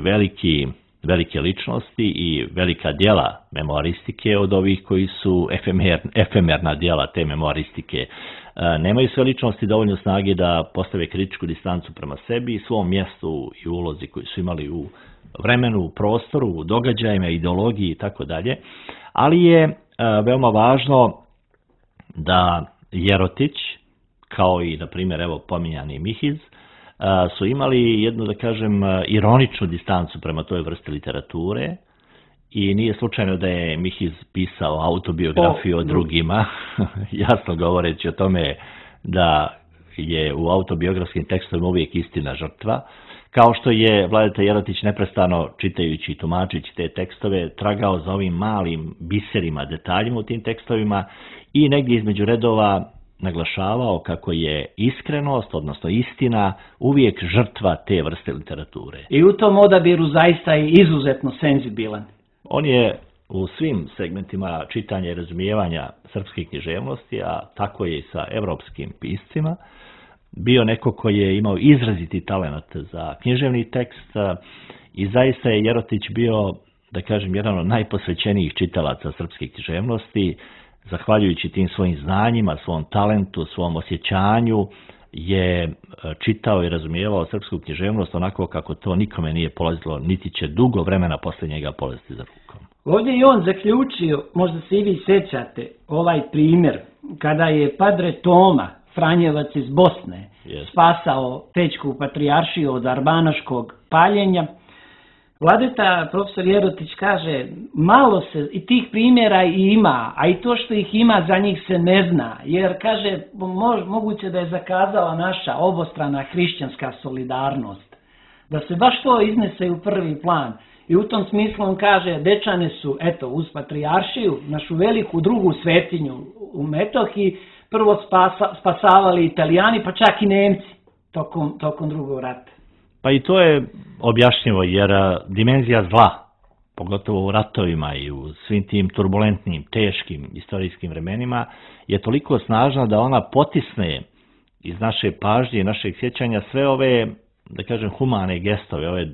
velike ličnosti i velika djela memoaristike od ovih koji su efemerna djela te memoaristike. Nemaju sve ličnosti dovoljno snage da postave kritičku distancu prema sebi i svom mjestu i ulozi koji su imali u vremenu, u prostoru, u događajima, ideologiji i tako dalje. Ali je veoma važno da Jerotić, kao i, na primjer, evo pominjani Mihiz, su imali jednu, da kažem, ironičnu distancu prema toj vrsti literature i nije slučajno da je Mihiz pisao autobiografiju o drugima, jasno govoreći o tome da je u autobiografskim tekstovima uvijek istina žrtva, kao što je Vladeta Jerotić neprestano, čitajući i tumačeći te tekstove, tragao za ovim malim biserima, detaljima u tim tekstovima i negdje između redova naglašavao kako je iskrenost, odnosno istina, uvijek žrtva te vrste literature. I u tom odabiru zaista je izuzetno senzibilan. On je u svim segmentima čitanja i razumijevanja srpske književnosti, a tako je i sa evropskim piscima, bio neko koji je imao izraziti talent za književni tekst i zaista je Jerotić bio, da kažem, jedan od najposvećenijih čitalaca srpske književnosti. Zahvaljujući tim svojim znanjima, svom talentu, svom osjećanju, je čitao i razumijevao srpsku književnost onako kako to nikome nije polazilo, niti će dugo vremena poslije njega polaziti za rukom. Ovdje je on zaključio, možda se i vi sjećate, ovaj primjer, kada je Padre Toma, Franjevac iz Bosne, spasao Pećku patrijaršiju od arbanaškog paljenja. Vladeta, profesor Jerotić, kaže, malo se i tih primjera i ima, a i to što ih ima za njih se ne zna, jer, kaže, moguće da je zakazala naša obostrana hrišćanska solidarnost. da se baš to iznese u prvi plan. I u tom smislu on kaže, Dečane su, eto, uz patrijaršiju, našu veliku drugu svetinju u Metohiji, prvo spasavali Italijani, pa čak i Nemci tokom drugog rata. Pa i to je objašnjivo, jer dimenzija zla, pogotovo u ratovima i u svim tim turbulentnim, teškim istorijskim vremenima, je toliko snažna da ona potisne iz naše pažnje i našeg sjećanja sve ove, da kažem, humane gestove, ove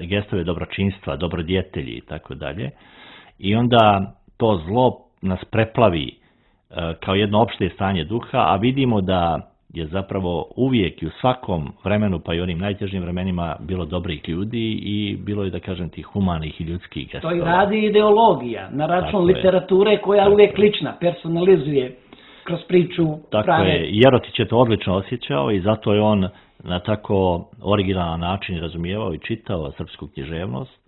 gestove dobročinstva, dobrodjetelji i tako dalje. I onda to zlo nas preplavi kao jedno opšte stanje duha, a vidimo da je zapravo uvijek i u svakom vremenu, pa i onim najtežim vremenima, bilo dobrih ljudi i bilo je, da kažem, tih humanih i ljudskih gestova. To i radi ideologija na račun literature koja je uvijek lična, personalizuje kroz priču prave. Tako je, Jerotić je to odlično osjećao i zato je on na tako originalan način razumijevao i čitao srpsku književnost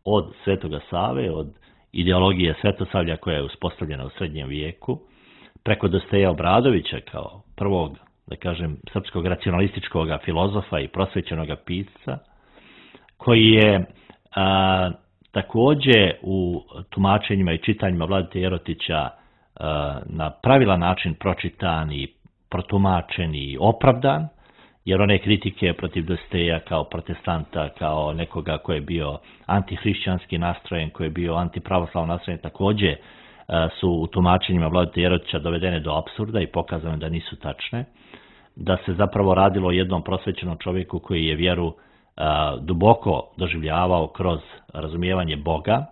od Svetoga Save, od ideologije Svetosavlja koja je uspostavljena u srednjem vijeku, preko Dosteja Obradovića kao prvog, da kažem, srpskog racionalističkog filozofa i prosvećenog pisca, koji je također u tumačenjima i čitanjima Vladete Jerotića na pravilan način pročitan i protumačen i opravdan, jer one kritike protiv Dosteja kao protestanta, kao nekoga koji je bio antihrišćanski nastrojen, koji je bio antipravoslavno nastrojen, također su u tumačenjima Vladete Jerotića dovedene do apsurda i pokazane da nisu tačne, da se zapravo radilo o jednom prosvećenom čovjeku koji je vjeru duboko doživljavao kroz razumijevanje Boga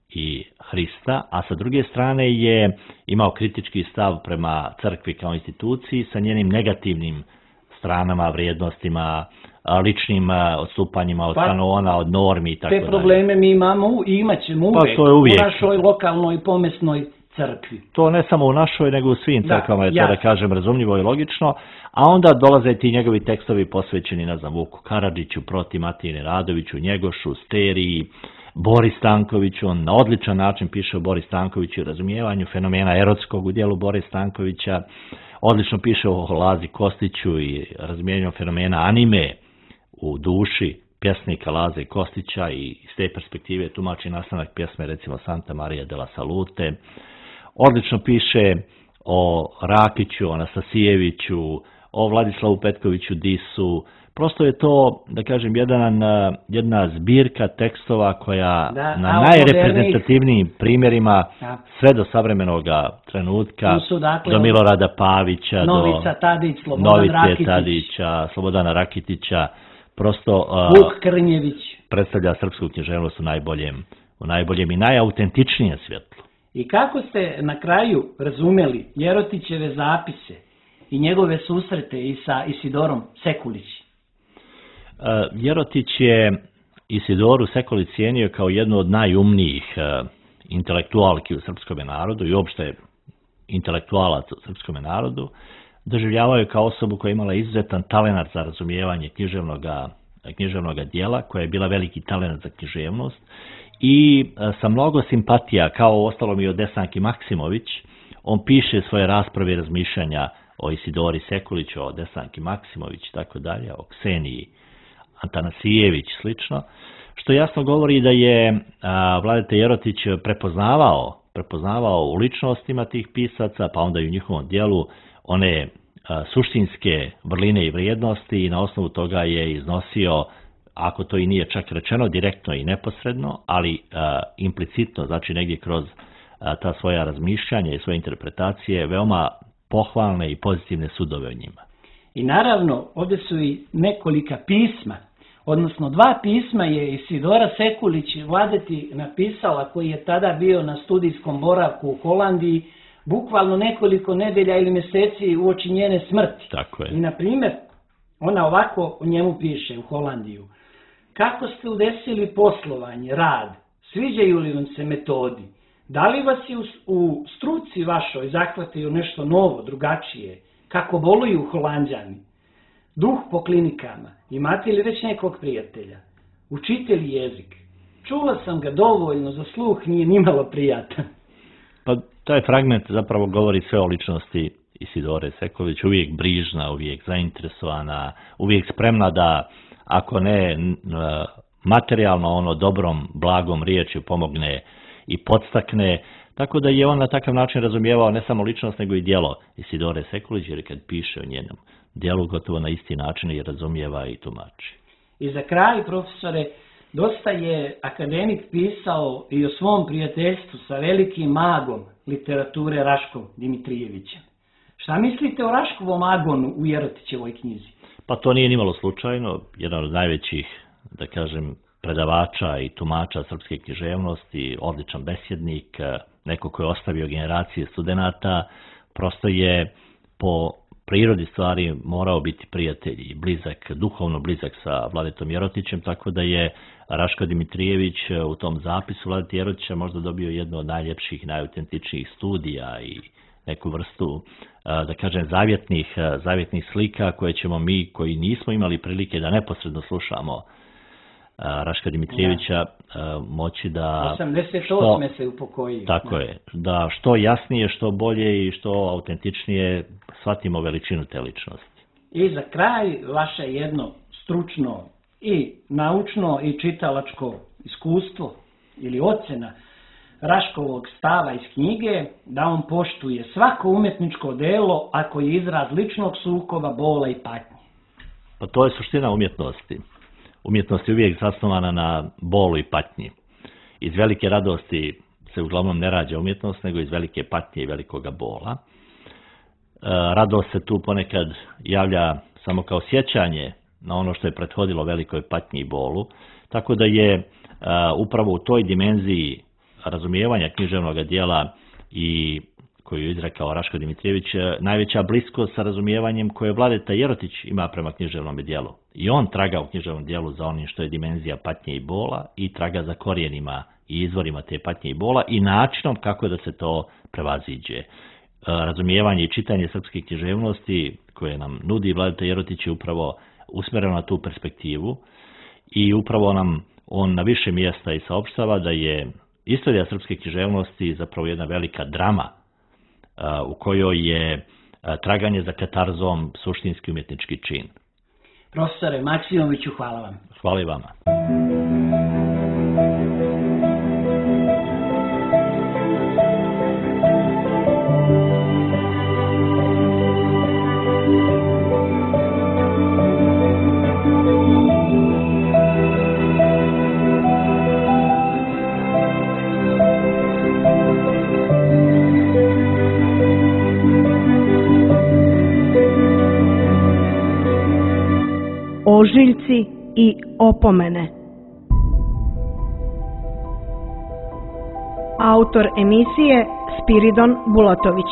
i Hrista, a sa druge strane je imao kritički stav prema crkvi kao instituciji sa njenim negativnim stranama, vrijednostima, ličnim odstupanjima od kanona, od normi i tako dalje. Te probleme mi imamo i imat ćemo uvijek u našoj lokalnoj pomesnoj crkvi. To ne samo u našoj, nego u svim crkvama je to, da kažem, razumljivo i logično, a onda dolaze ti njegovi tekstovi posvećeni, ne znam, Vuku Karadžiću, Proti Matiji Radoviću, Njegošu, Steriji, Boris Stankoviću. On na odličan način piše o Boris Stankoviću i razumijevanju fenomena erotskog u dijelu Boris Stankovića. Odlično piše o Lazi Kostiću i razumijevanju fenomena anime u duši pjesnika Laze Kostića i iz te perspektive tumači nastanak pjesme, recimo Santa Maria della Salute. Odlično piše o Rakiću, o Anastasijeviću, o Vladislavu Petkoviću Disu. Prosto je to, da kažem, jedna zbirka tekstova koja na najreprezentativnijim primjerima sve do savremenog trenutka, do Milorada Pavića, Novica Tadić, Novice Tadića, Slobodana Rakitića, prosto Vuk Krnjević predstavlja srpsku književnost u najboljem i najautentičnijem svjetlu. I kako ste na kraju razumjeli Jerotićeve zapise i njegove susrete i sa Isidorom Sekulić? Jerotić je Isidoru Sekulić cijenio kao jednu od najumnijih intelektualki u srpskom narodu i uopšte intelektualaca u srpskom narodu. Doživljavao je kao osobu koja je imala izuzetan talenat za razumijevanje književnog dijela, koja je bila veliki talenat za književnost i sa mnogo simpatija, kao ostalom i od Desanki Maksimović, on piše svoje rasprave i razmišljanja o Isidori Sekulić, o Desanki Maksimović, tako dalje, o Kseniji Antanasijević, slično, što jasno govori da je Vladeta Jerotić prepoznavao u ličnostima tih pisaca, pa onda i u njihovom dijelu, one suštinske vrline i vrijednosti i na osnovu toga je iznosio, ako to i nije čak rečeno direktno i neposredno, ali implicitno, znači negdje kroz ta svoja razmišljanja i svoje interpretacije, veoma pohvalne i pozitivne sudove o njima. I naravno, ovdje su i nekolika pisma, odnosno 2 pisma je Isidora Sekulić Vladeti napisala, koji je tada bio na studijskom boravku u Holandiji, bukvalno nekoliko nedelja ili mjeseci uoči njene smrti. Tako je. I na primjer, ona ovako o njemu piše u Holandiju. Kako ste udesili poslovanje, rad, sviđaju li vam se metodi? Da li vas je u struci vašoj zahvatio nešto novo, drugačije? Kako boluju Holanđani? Duh po klinikama. Imate li već nekog prijatelja? Učitelj jezik. Čula sam ga dovoljno, za sluh nije nimalo prijatan. Pa taj fragment zapravo govori sve o ličnosti Isidore Sekulić, uvijek brižna, uvijek zainteresovana, uvijek spremna da, ako ne materijalno, ono dobrom, blagom riječju pomogne i podstakne, tako da je on na takav način razumijevao ne samo ličnost, nego i djelo Isidore Sekulić, jer kad piše o njenom djelu, gotovo na isti način je razumijeva i tumači. I za kraj, profesore, dosta je akademik pisao i o svom prijateljstvu sa velikim magom literature Raškom Dimitrijevićem. Šta mislite o Raškovom agonu u Jerotićevoj knjizi? Pa to nije nimalo slučajno. Jedan od najvećih, da kažem, predavača i tumača srpske književnosti, odličan besjednik, neko koji je ostavio generacije studenata, prosto je po prirodi stvari morao biti prijatelj i blizak, duhovno blizak sa Vladetom Jerotićem, tako da je Raško Dimitrijević u tom zapisu Vladeta Jerotića možda dobio jedno od najljepših i najautentičnijih studija i neku vrstu, da kažem, zavjetnih slika koje ćemo mi, koji nismo imali prilike da neposredno slušamo Raška Dimitrijevića, moći da... 88. se upokojio. Tako je, da što jasnije, što bolje i što autentičnije shvatimo veličinu te ličnosti. I za kraj, vaše jedno stručno i naučno i čitalačko iskustvo ili ocena Raškovog stava iz knjige, da on poštuje svako umjetničko delo ako je izraz ličnog sukoba, bola i patnje. Pa to je suština umjetnosti. Umjetnost je uvijek zasnovana na bolu i patnji. Iz velike radosti se uglavnom ne rađa umjetnost, nego iz velike patnje i velikoga bola. Radost se tu ponekad javlja samo kao sjećanje na ono što je prethodilo velikoj patnji i bolu, tako da je upravo u toj dimenziji razumijevanja književnog djela i koju je izrekao Raško Dimitrijević, najveća bliskost sa razumijevanjem koje Vladeta Jerotić ima prema književnom djelu. I on traga u književnom djelu za onim što je dimenzija patnje i bola i traga za korijenima i izvorima te patnje i bola i načinom kako da se to prevaziđe. Razumijevanje i čitanje srpske književnosti koje nam nudi Vladeta Jerotić je upravo usmjereno na tu perspektivu i upravo nam on na više mjesta i saopštava da je istorija srpske književnosti zapravo jedna velika drama u kojoj je traganje za katarzom suštinski umjetnički čin. Profesore Maksimoviću, hvala vam. Hvala i vama. Ožiljci i opomene. Autor emisije Spiridon Bulatović.